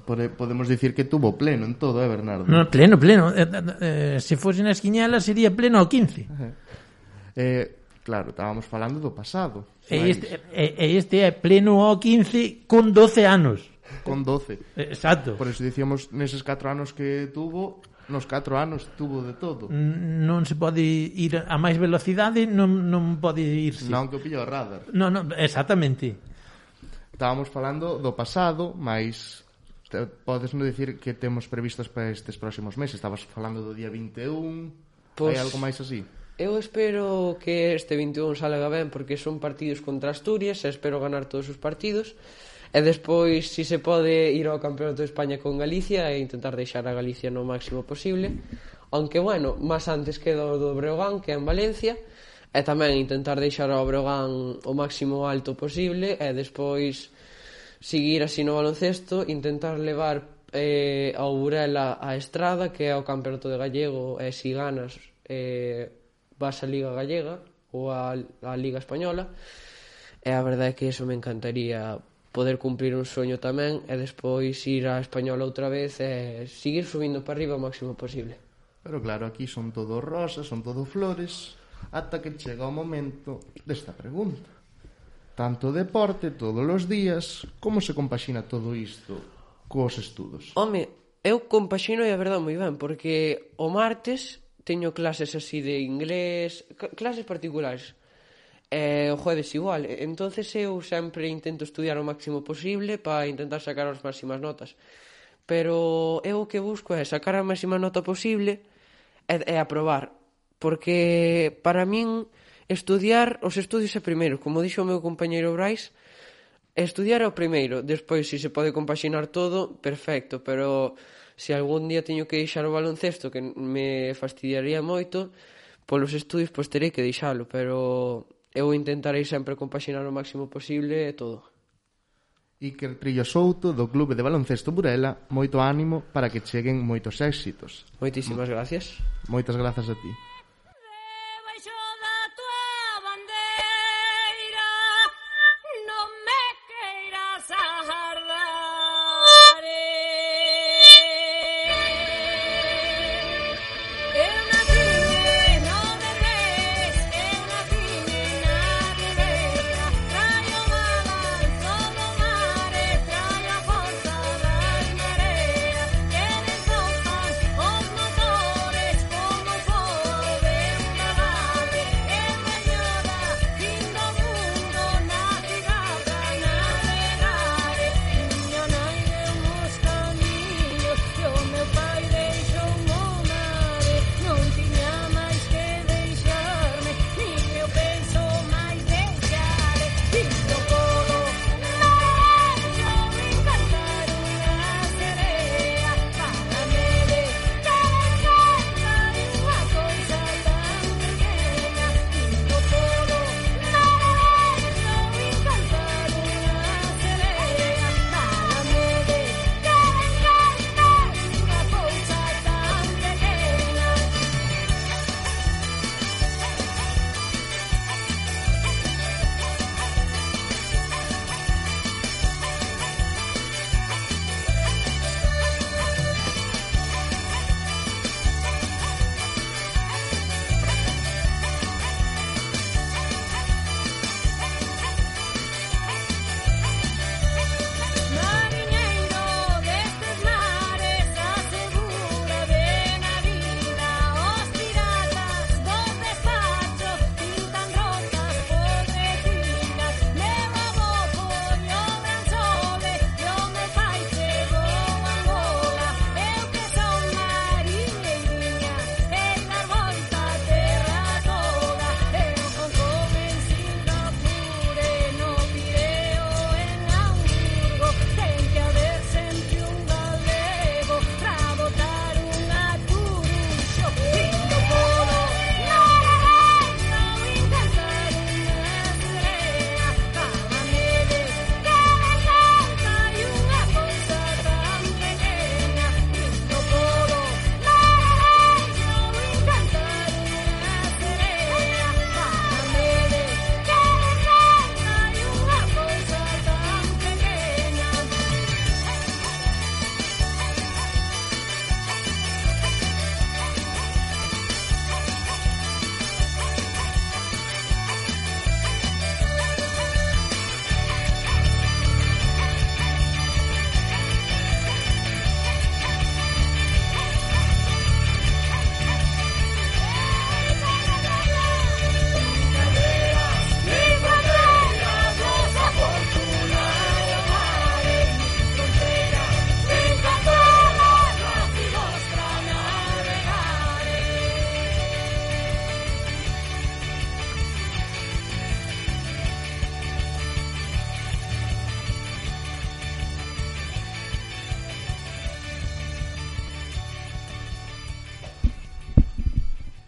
Podemos dicir que tuvo pleno en todo, eh, Bernardo? No, pleno, pleno. Eh, eh, se fose nas quiñalas sería pleno ao quince. Eh, claro, estábamos falando do pasado. E este, e este é pleno ao quince con doce anos. Con doce. Exacto. Por eso dicíamos neses catro anos que tuvo, nos catro anos tuvo de todo. Non se pode ir a máis velocidade, non, non pode irse. Non que o pilla o radar. Non, non, exactamente. Estábamos falando do pasado, mais te, podes non dicir que temos previstos para estes próximos meses? Estabas falando do día vinte e un, Pois- hai algo máis así? Eu espero que este vinte e un salga ben, porque son partidos contra Asturias, e espero ganar todos os partidos. E despois, si se pode, ir ao Campeonato de España con Galicia e intentar deixar a Galicia no máximo posible. Aunque, bueno, máis antes queda o do Breogán, que é en Valencia, e tamén intentar deixar ao Breogán o máximo alto posible, e despois seguir así no baloncesto, intentar levar eh, ao Burela a Estrada, que é o Campeonato de Gallego, e si ganas eh, vas a Liga Gallega ou a, a Liga Española. E a verdade é que eso me encantaría, poder cumplir un soño tamén, e despois ir á Española outra vez e seguir subindo para arriba o máximo posible. Pero claro, aquí son todo rosas, son todo flores, ata que chega o momento desta pregunta. Tanto deporte todos os días, como se compaxina todo isto cos estudos? Home, eu compaxino e a verdade moi ben, porque o martes teño clases así de inglés, clases particulares, e o jueves igual. Entonces eu sempre intento estudiar o máximo posible para intentar sacar as máximas notas. Pero eu o que busco é sacar a máxima nota posible e, e aprobar. Porque para min estudiar, os estudios é primeiro. Como dixo o meu compañeiro Brais, estudiar é o primeiro. Despois, se se pode compaxinar todo, perfecto. Pero se algún día teño que deixar o baloncesto, que me fastidiaría moito, polos estudios, pois terei que deixalo. Pero eu intentarei sempre compaxinar o máximo posible e todo. Iker Trillo Souto, do Clube de Baloncesto Burela, moito ánimo para que cheguen moitos éxitos. Moitísimas gracias. Moitas grazas a ti.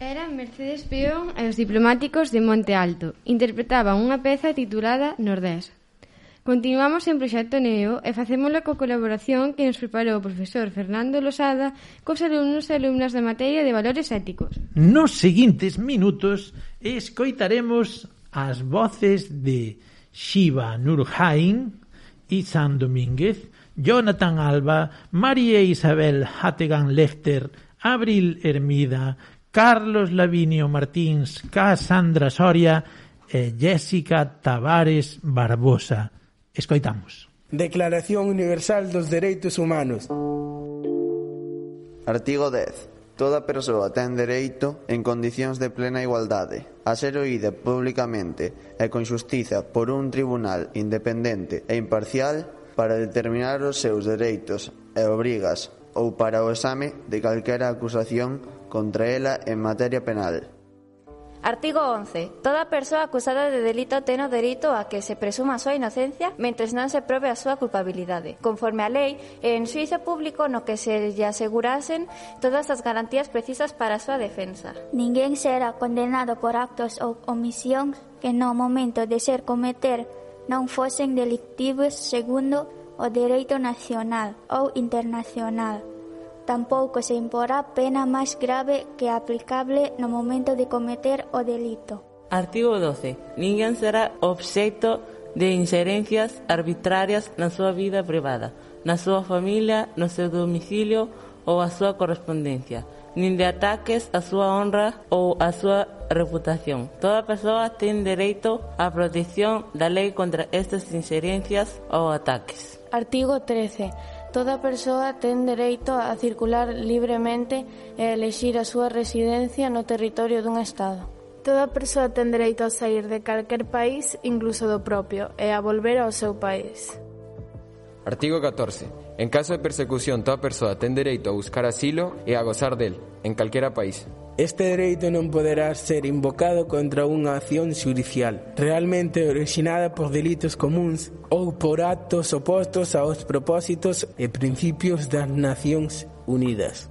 Eran Mercedes Peón e os diplomáticos de Monte Alto. Interpretaban unha peza titulada Nordés. Continuamos en Proxecto Neo e facémoslo co colaboración que nos preparou o profesor Fernando Losada cos alumnos e alumnas da materia de valores éticos. Nos seguintes minutos escoitaremos as voces de Shiva Nurhain, Isan Domínguez, Jonathan Alba, María Isabel Hattegan Lefter, Abril Hermida, Carlos Lavinio Martins, Cassandra Soria e Jessica Tavares Barbosa. Escoitamos. Declaración Universal dos Dereitos Humanos. Artigo dez. Toda persoa ten dereito, en condicións de plena igualdade, a ser oída públicamente e con xustiza por un tribunal independente e imparcial para determinar os seus dereitos e obrigas ou para o exame de calquera acusación contra ela en materia penal. Artigo once. Toda persoa acusada de delito ten o dereito a que se presuma a súa inocencia mentres non se probe a súa culpabilidade, conforme a lei e en xuízo público no que se lle asegurasen todas as garantías precisas para a súa defensa. Ninguén será condenado por actos ou omisións que no momento de ser cometer non fosen delictivos segundo o dereito nacional ou internacional. Tampouco se imporá pena máis grave que aplicable no momento de cometer o delito. Artigo doce. Ninguén será obxecto de inxerencias arbitrarias na súa vida privada, na súa familia, no seu domicilio ou a súa correspondencia, nin de ataques á súa honra ou á súa reputación. Toda persoa ten dereito á protección da lei contra estas inxerencias ou ataques. Artigo trece. Toda persoa ten dereito a circular libremente e elexir a súa residencia no territorio dun Estado. Toda persoa ten dereito a sair de calquer país, incluso do propio, e a volver ao seu país. Artigo catorce. En caso de persecución, toda persoa ten dereito a buscar asilo e a gozar del, en calquera país. Este dereito non poderá ser invocado contra unha acción xudicial realmente originada por delitos comuns ou por actos opostos aos propósitos e principios das Nacións Unidas.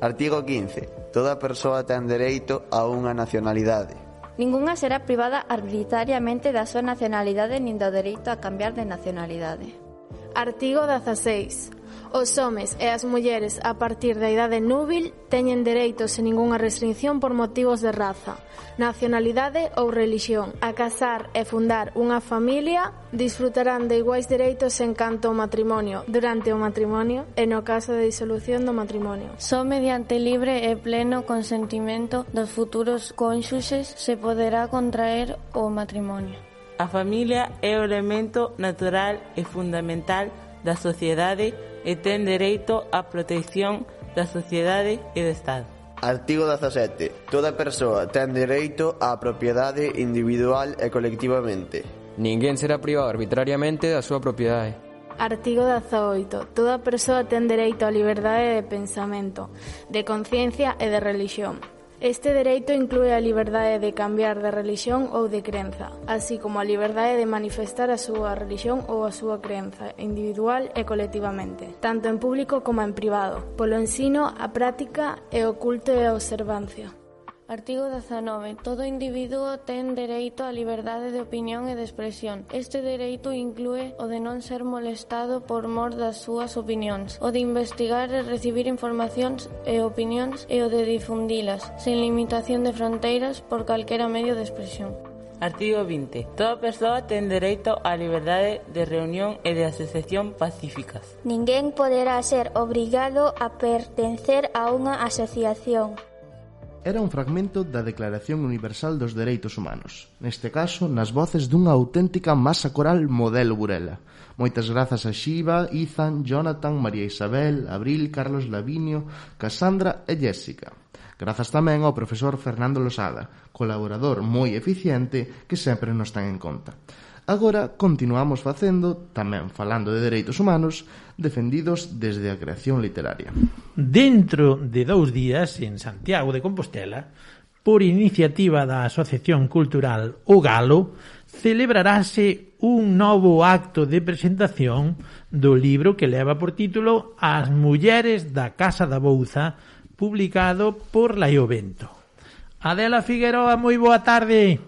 Artigo quince. Toda persoa ten dereito a unha nacionalidade. Ningunha será privada arbitrariamente da súa nacionalidade nin do dereito a cambiar de nacionalidade. Artigo dezaseis. Os homes e as mulleres a partir da idade núbil teñen dereitos sen ningunha restricción por motivos de raza, nacionalidade ou religión. A casar e fundar unha familia disfrutarán de iguais dereitos en canto ao matrimonio, durante o matrimonio e no caso de disolución do matrimonio. Só mediante libre e pleno consentimento dos futuros cónxuxes se poderá contraer o matrimonio. A familia é o elemento natural e fundamental da sociedade e ten dereito á protección da sociedade e do Estado. Artigo dezasete. Toda persoa ten dereito á propiedade individual e colectivamente. Ninguén será privado arbitrariamente da súa propiedade. Artigo dezaoito. Toda persoa ten dereito á liberdade de pensamento, de conciencia e de religión. Este dereito inclúe a liberdade de cambiar de religión ou de crenza, así como a liberdade de manifestar a súa religión ou a súa crenza, individual e colectivamente, tanto en público como en privado, polo ensino, a práctica e o culto e a observancia. Artigo dezanove. Todo individuo ten dereito á liberdade de opinión e de expresión. Este dereito inclúe o de non ser molestado por mor das súas opinións, o de investigar e recibir informacións e opinións e o de difundilas, sen limitación de fronteiras por calquera medio de expresión. Artigo vinte. Toda persoa ten dereito á liberdade de reunión e de asociación pacíficas. Ninguén poderá ser obrigado a pertencer a unha asociación. Era un fragmento da Declaración Universal dos Dereitos Humanos, neste caso nas voces dunha auténtica masa coral modelo Burela. Moitas grazas a Xiva, Izan, Jonathan, María Isabel, Abril, Carlos Lavinio, Cassandra e Jessica. Grazas tamén ao profesor Fernando Losada, colaborador moi eficiente que sempre nos ten en conta. Agora continuamos facendo, tamén falando de dereitos humanos, defendidos desde a creación literaria. Dentro de dous días, en Santiago de Compostela, por iniciativa da Asociación Cultural O Galo, celebrarase un novo acto de presentación do libro que leva por título As mulleres da Casa da Bouza, publicado por Laiovento. Adela Figueroa, moi boa tarde.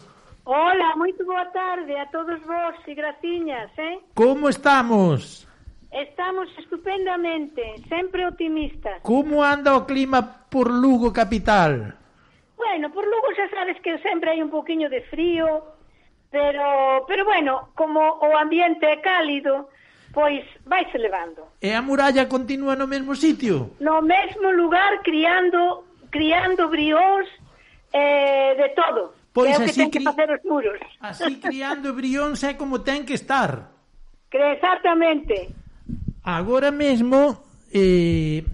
Hola, moito boa tarde a todos vos e graciñas, eh? Como estamos? Estamos estupendamente, sempre optimistas. Como anda o clima por Lugo capital? Bueno, por Lugo xa sabes que sempre hai un poquinho de frío, pero pero bueno, como o ambiente é cálido, pois vaise levando. E a muralla continúa no mesmo sitio? No mesmo lugar, criando criando brións eh, de todo. Pois que é o que así ten que cri... facer os muros. Así criando brións é como ten que estar. Que exactamente. Agora mesmo eh,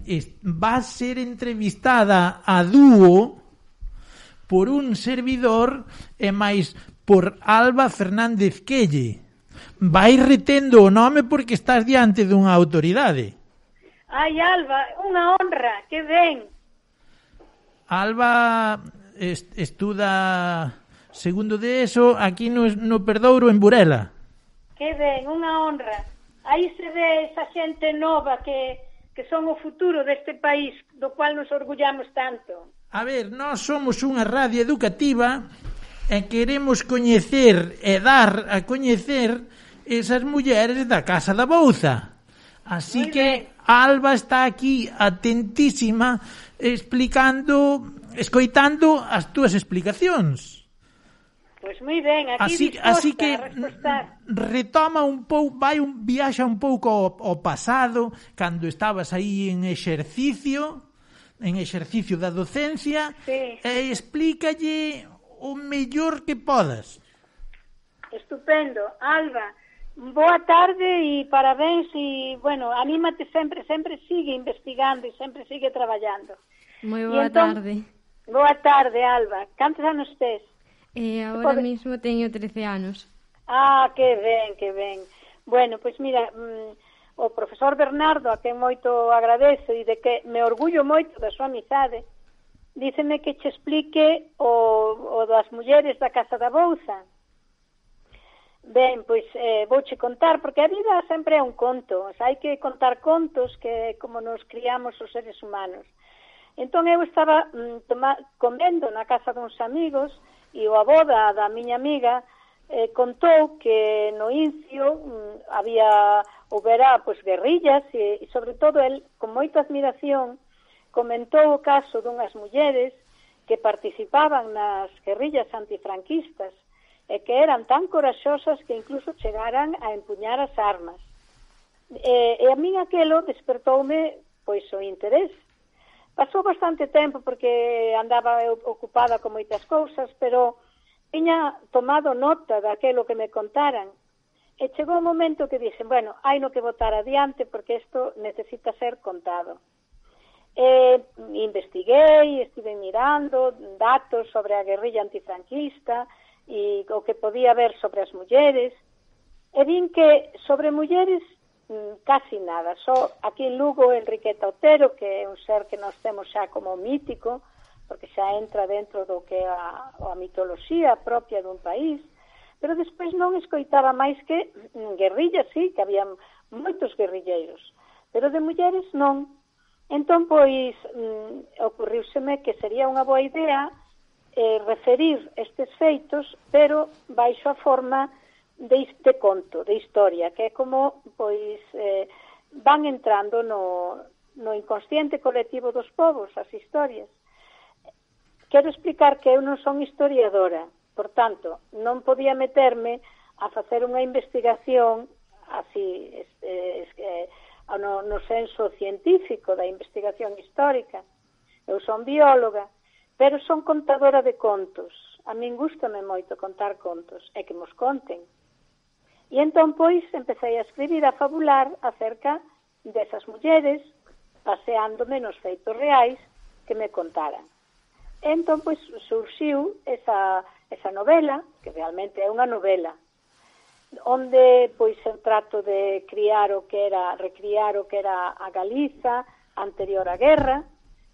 va a ser entrevistada a dúo por un servidor e máis por Alba Fernández Quelle. Vai retendo o nome porque estás diante dunha autoridade. Ai, Alba, unha honra, que ben. Alba est estuda segundo de eso aquí no, no Perdouro, en Burela. Que ben, unha honra. Aí se ve esa xente nova que, que son o futuro deste país, do cual nos orgullamos tanto. A ver, nós somos unha radio educativa e queremos coñecer e dar a coñecer esas mulleres da Casa da Bouza. Así Muy que bien. Alba está aquí atentísima explicando, escoitando as túas explicacións. Pois moi ben, aquí así, disposta así que a respostar. Retoma un pouco, vai un viaxa un pouco ao, ao pasado, cando estabas aí en exercicio, en exercicio da docencia, sí. E explícalle o mellor que podas. Estupendo. Alba, boa tarde e parabéns e, bueno, anímate sempre, sempre sigue investigando e sempre sigue traballando. Moi boa entón, tarde. Boa tarde, Alba. Cantos anos tes? Eh, agora Pode... mismo teño trece anos. Ah, que ben, que ben. Bueno, pois mira, mmm, o profesor Bernardo, a quen moito agradezo e de que me orgullo moito da súa amizade, díceme que che explique o, o das mulleres da Casa da Bouza. Ben, pois eh, vouche contar, porque a vida sempre é un conto, o sea, hai que contar contos que como nos criamos os seres humanos. Entón eu estaba mm, toma, comendo na casa duns amigos e o avó da, da miña amiga eh, contou que no Incio mm, había, houbera, pois, guerrillas e, e sobre todo el, con moita admiración, comentou o caso dunhas mulleres que participaban nas guerrillas antifranquistas e que eran tan coraxosas que incluso chegaran a empuñar as armas. E, e a min aquelo despertoume pois o interés. Pasou bastante tempo porque andaba eu ocupada con moitas cousas, pero tiña tomado nota daquelo que me contaran. E chegou un momento que dixen, bueno, hai no que botar adiante porque isto necesita ser contado. E investiguei, estive mirando datos sobre a guerrilla antifranquista e o que podía ver sobre as mulleres. E vin que sobre mulleres casi nada, só aquí en Lugo Enriqueta Otero, que é un ser que nós temos xa como mítico, porque xa entra dentro do que é a, a mitoloxía propia dun país, pero despois non escoitaba máis que guerrillas, sí, que había moitos guerrilleiros, pero de mulleres non. Entón, pois, mm, ocurriuseme que sería unha boa idea eh, referir estes feitos, pero baixo a forma de, de conto, de historia, que é como pois eh, van entrando no, no inconsciente colectivo dos povos, as historias. Quero explicar que eu non son historiadora, por tanto, non podía meterme a facer unha investigación así, eh, eh, no, no senso científico da investigación histórica. Eu son bióloga, pero son contadora de contos. A min gústame moito contar contos, e que mos conten. E entón, pois, empecé a escribir, a fabular acerca desas mulleres, paseándome nos feitos reais que me contaran. E entón, pois, surxiu esa, esa novela, que realmente é unha novela, onde, pois, eu trato de criar o que era, recriar o que era a Galiza anterior á guerra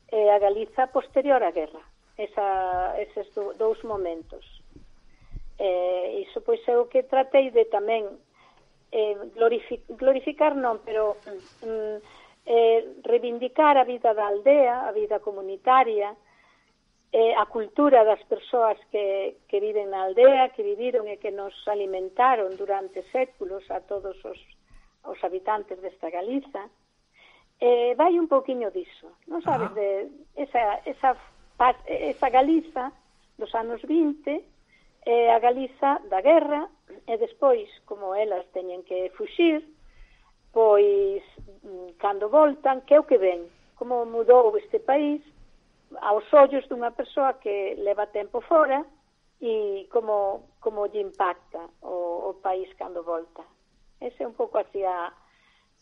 e a Galiza posterior á guerra. Esa, eses do, dous momentos. Eh, iso pois é o que tratei de tamén eh, glorific, glorificar non, pero mm, eh, reivindicar a vida da aldea, a vida comunitaria, eh, a cultura das persoas que, que viven na aldea, que viviron e que nos alimentaron durante séculos a todos os, os habitantes desta Galiza, eh, vai un pouquiño diso, non sabes, ah. de esa, esa, esa Galiza dos anos vinte, eh, a Galiza da guerra, e despois, como elas teñen que fuxir, pois, cando voltan, que é o que ven? Como mudou este país aos ollos dunha persoa que leva tempo fora e como, como lle impacta o, o país cando volta. Ese é un pouco así a,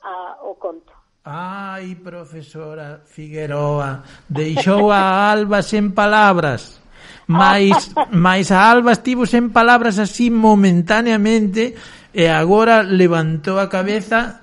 a, o conto. Ai, profesora Figueroa, deixou a Alba sen palabras. Mais, mais a Alba estivo sen palabras así momentaneamente e agora levantou a cabeza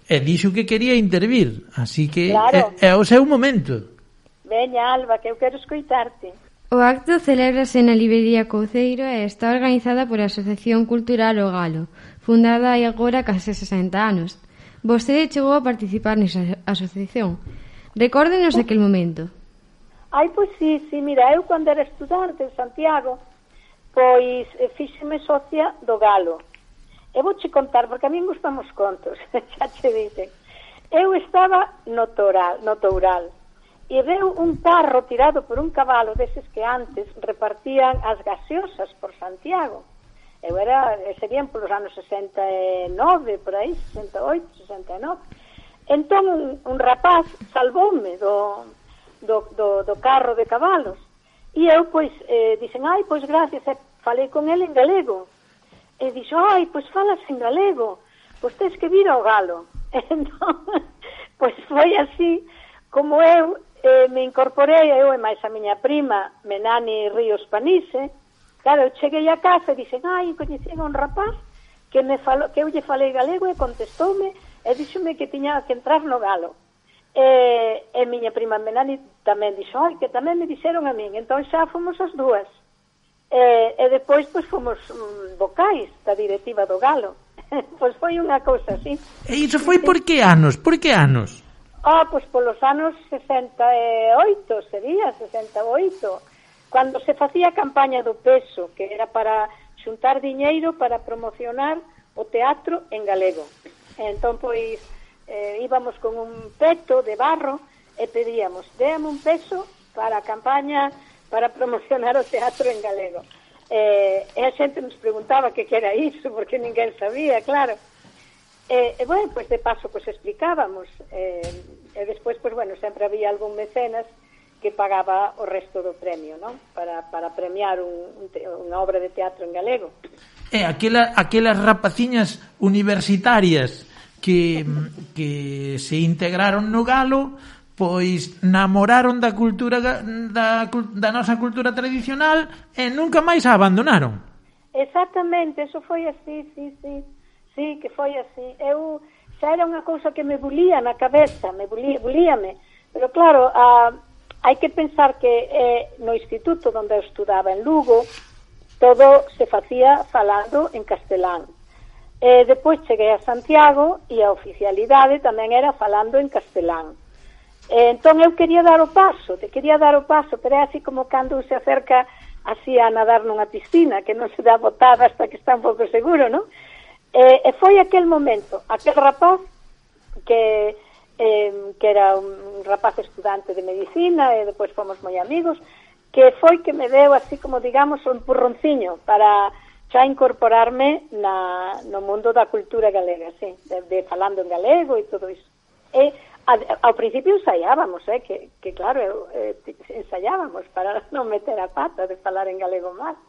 e dixo que quería intervir. Así que claro. é, é o seu momento. Veña, Alba, que eu quero escoitarte. O acto celébrase na librería Couceiro e está organizada por a Asociación Cultural O Galo, fundada hai agora case sesenta anos. Vostede chegou a participar nesa asociación. Recórdenos aquel momento. Ai, pois sí, sí, mira, eu cando era estudante en Santiago, pois fíxeme socia do Galo. E vou che contar, porque a mí gustan os contos, xa che dicen. Eu estaba no Toural, no Toural, e veu un carro tirado por un cabalo deses que antes repartían as gaseosas por Santiago. Eu era, serían polos anos sesenta e nove, por aí, sesenta e oito, sesenta e nove. Entón, un, un rapaz salvoume do, do, do, do carro de cabalos. E eu, pois, eh, dixen, ai, pois, gracias, e falei con ele en galego. E dixo, ai, pois, falas en galego, pois, tens que vir ao Galo. Entón, pois, foi así como eu eh, me incorporei, eu e máis a miña prima, Menani Ríos Panise. Claro, eu cheguei a casa e dixen, ai, coñecín a un rapaz que me falou, que eu lle falei galego e contestoume e díxome que tiña que entrar no Galo. E, e miña prima Menani tamén dixo, ai, que tamén me dixeron a min. Entón xa fomos as dúas. E, e depois, pois, fomos um, vocais da directiva do Galo. Pois foi unha cousa así. E iso foi por que anos? Por que anos? Ah, pois polos anos sesenta e oito, sería, sesenta e oito. Cando se facía a campaña do peso, que era para xuntar diñeiro para promocionar o teatro en galego. Entón, pois, eh, íbamos con un peto de barro e pedíamos, déame un peso para a campaña para promocionar o teatro en galego. Eh, e a xente nos preguntaba que que era iso, porque ninguén sabía, claro. E, e bueno, pois de paso, pois explicábamos. Eh, e despois, pois bueno, sempre había algún mecenas que pagaba o resto do premio, non? Para, para premiar un, un te, unha obra de teatro en galego. E aquela, aquelas rapaciñas universitarias que, que se integraron no Galo, pois namoraron da cultura da, da nosa cultura tradicional e nunca máis a abandonaron. Exactamente, eso foi así, sí, sí, sí, que foi así. Eu xa era unha cousa que me bulía na cabeza, me bulía, bulíame, pero claro, a hai que pensar que eh, no instituto onde eu estudaba en Lugo todo se facía falando en castelán. Eh, depois cheguei a Santiago e a oficialidade tamén era falando en castelán. Eh, entón eu quería dar o paso, te quería dar o paso, pero é así como cando se acerca así a nadar nunha piscina, que non se dá botada hasta que está un pouco seguro, non? Eh, e foi aquel momento, aquel rapaz que... Eh, que era un rapaz estudante de medicina e depois fomos moi amigos, que foi que me deu así como digamos un empurronciño para xa incorporarme na, no mundo da cultura galega, sí, de, de falando en galego e todo iso. E a, ao principio ensaiábamos, eh, que, que claro, eh, ensaiábamos para non meter a pata de falar en galego mal.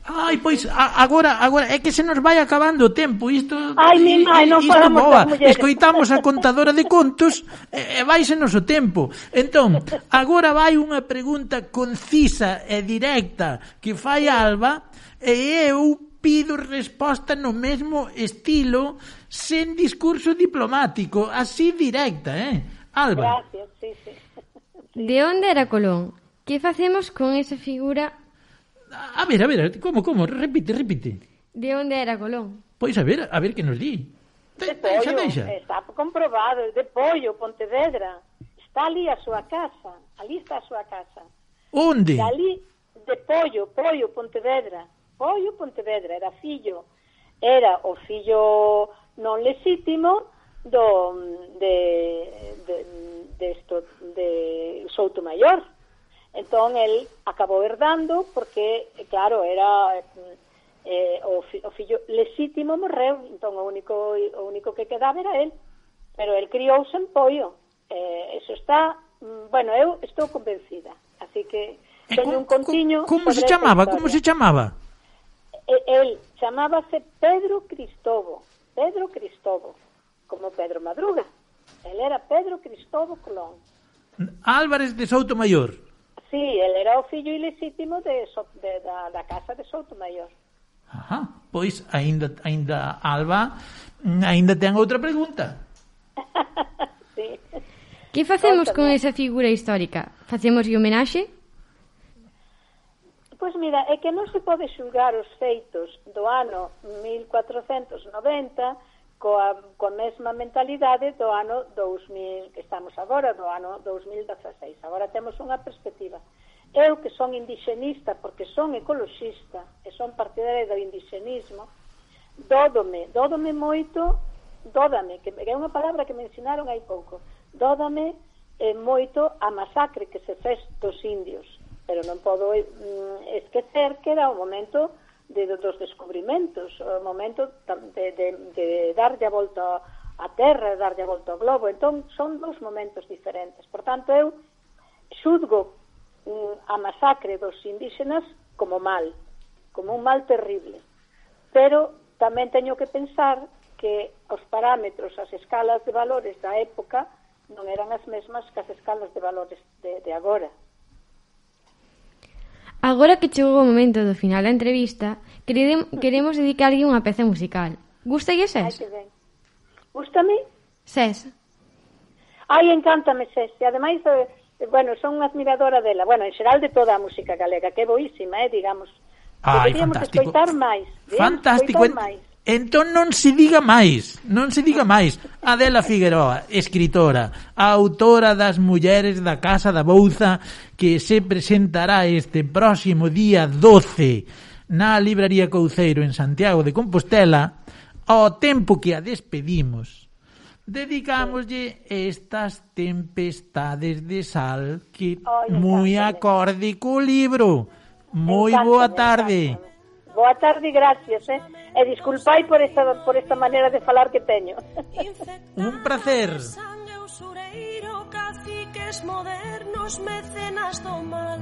Ai, pois, a, agora, agora, é que se nos vai acabando o tempo, isto... Ai, mi mãe, non falamos das mulleres. Escoitamos a contadora de contos e, e vaise nos o tempo. Entón, agora vai unha pregunta concisa e directa que fai Alba e eu pido resposta no mesmo estilo, sen discurso diplomático, así directa, eh? Alba. Gracias, sí, sí. De onde era Colón? Que facemos con esa figura... A ver, a ver, como, como? Repite, repite. De onde era Colón? Pois a ver, a ver que nos di. De Pollo, está comprobado, de Pollo, Pontevedra. Está ali a súa casa, ali está a súa casa. Onde? Dali, de Pollo, Pollo, Pontevedra. Pollo, Pontevedra, era fillo, era o fillo non lexítimo do de de de esto de Soutomaior. Entón el acabou herdando porque claro, era eh, o, fi, o fillo lexítimo morreu, entón o único o único que quedaba era el, pero el criouse en Pollo. Eh, eso está, bueno, eu estou convencida, así que teño un contiño. Como se chamaba? Como se chamaba? El chamábase Pedro Cristovo, Pedro Cristovo, como Pedro Madruga. Él era Pedro Cristovo Colón. Álvarez de Soutomaior. Sí, él era o fillo ilexítimo de, de, da, da casa de Soutomaior. Ajá, pois aínda aínda Alba aínda ten outra pregunta. Sí. Que facemos con esa figura histórica? Facemos homenaxe? Pois mira, é que non se pode xulgar os feitos do ano mil cuatrocentos noventa coa, coa mesma mentalidade do ano dous mil, que estamos agora, do ano dous mil dezasseis. Agora temos unha perspectiva. Eu, que son indixenista, porque son ecoloxista, e son partidaria do indixenismo, dódome, dódome moito, dódame, que é unha palabra que me ensinaron hai pouco, dódame eh, moito a masacre que se fez dos indios. Pero non podo mm, esquecer que era o momento de, de, dos descubrimentos, o momento de, de, de darlle a volta a terra, de darlle a volta ao globo. Entón, son dous momentos diferentes. Por tanto, eu xudgo mm, a masacre dos indígenas como mal, como un mal terrible. Pero tamén teño que pensar que os parámetros, as escalas de valores da época non eran as mesmas que as escalas de valores de, de agora. Agora que chegou o momento do final da entrevista, queremos dedicarlle unha peza musical. Gústalle Ses? Ai, que ben. Gústame? Ses. Ai, encántame Ses. E ademais, eh, bueno, son unha admiradora dela. Bueno, en xeral de toda a música galega, que é boísima, eh, digamos. Ai, deberíamos fantástico. escoitar máis. Fantástico. Escoitar máis. Entón non se diga máis, non se diga máis. Adela Figueroa, escritora, a autora das Mulleres da Casa da Bouza, que se presentará este próximo día doce na Libraría Couceiro en Santiago de Compostela. Ao tempo que a despedimos, dedicámoslle estas tempestades de sal que moi acorde co libro. Moi boa tarde. Boa tarde, gracias, eh? E disculpai por esta, por esta maneira de falar que teño. Un placer. Caciques modernos, mecenas do mal.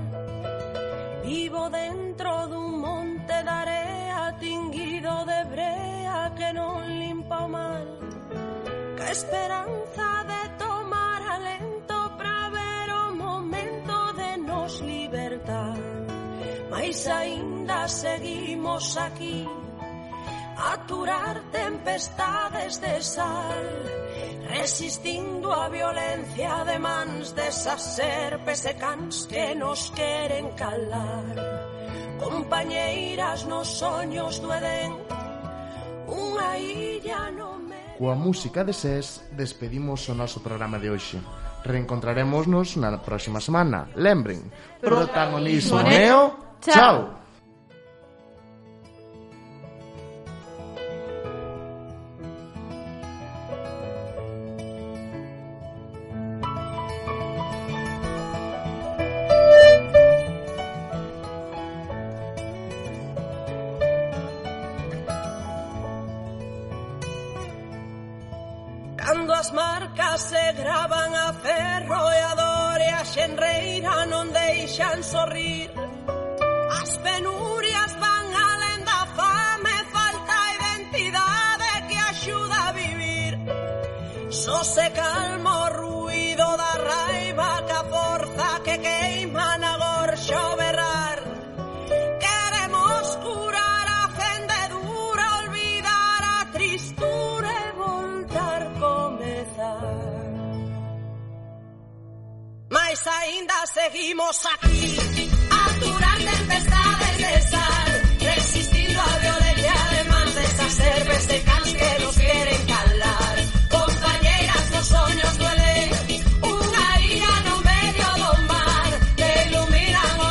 Vivo dentro dun monte de area tinguido de brea que non limpa o mal. Que esperanza de tomar alento para ver o momento de nos libertar. Mais aínda seguimos aquí a aturar tempestades de sal, resistindo a violencia de mans desas serpes e cans que nos queren calar. Compañeiras nos soños do Edén, unha illa no me... Coa música de Ses despedimos o noso programa de hoxe. Reencontrarémonos na próxima semana. Lembren, protagonismo neo. Chao. Cando as marcas se gravan a ferro e a dor e a xenreira non deixan sorrir. As penurias van alén da fame, falta identidade que axuda a vivir. Só se calma o ruido da raiva que a forza que queima na gorxa o berrar. Queremos curar a fendedura, olvidar a tristura e voltar a comezar. Mais aínda seguimos aquí a aturar tempestades de sal, resistindo a violencia de mans desas serpes e cans que nos queren calar. Compañeiras nos soños do Edén, unha illa no medio do mar, que iluminan o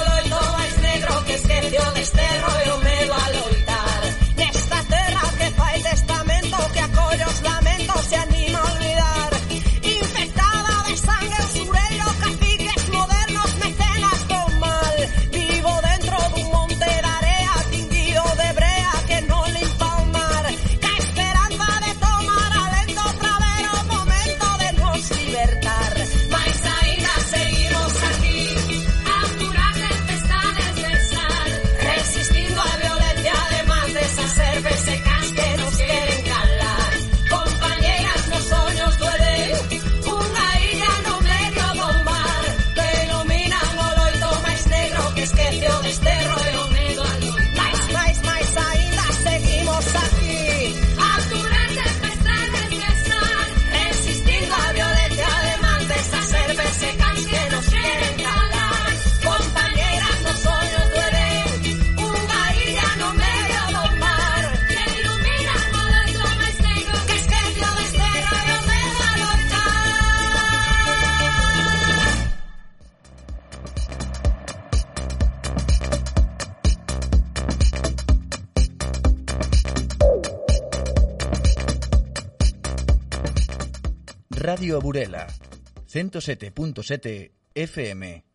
Radio Burela, ciento sete punto sete F M.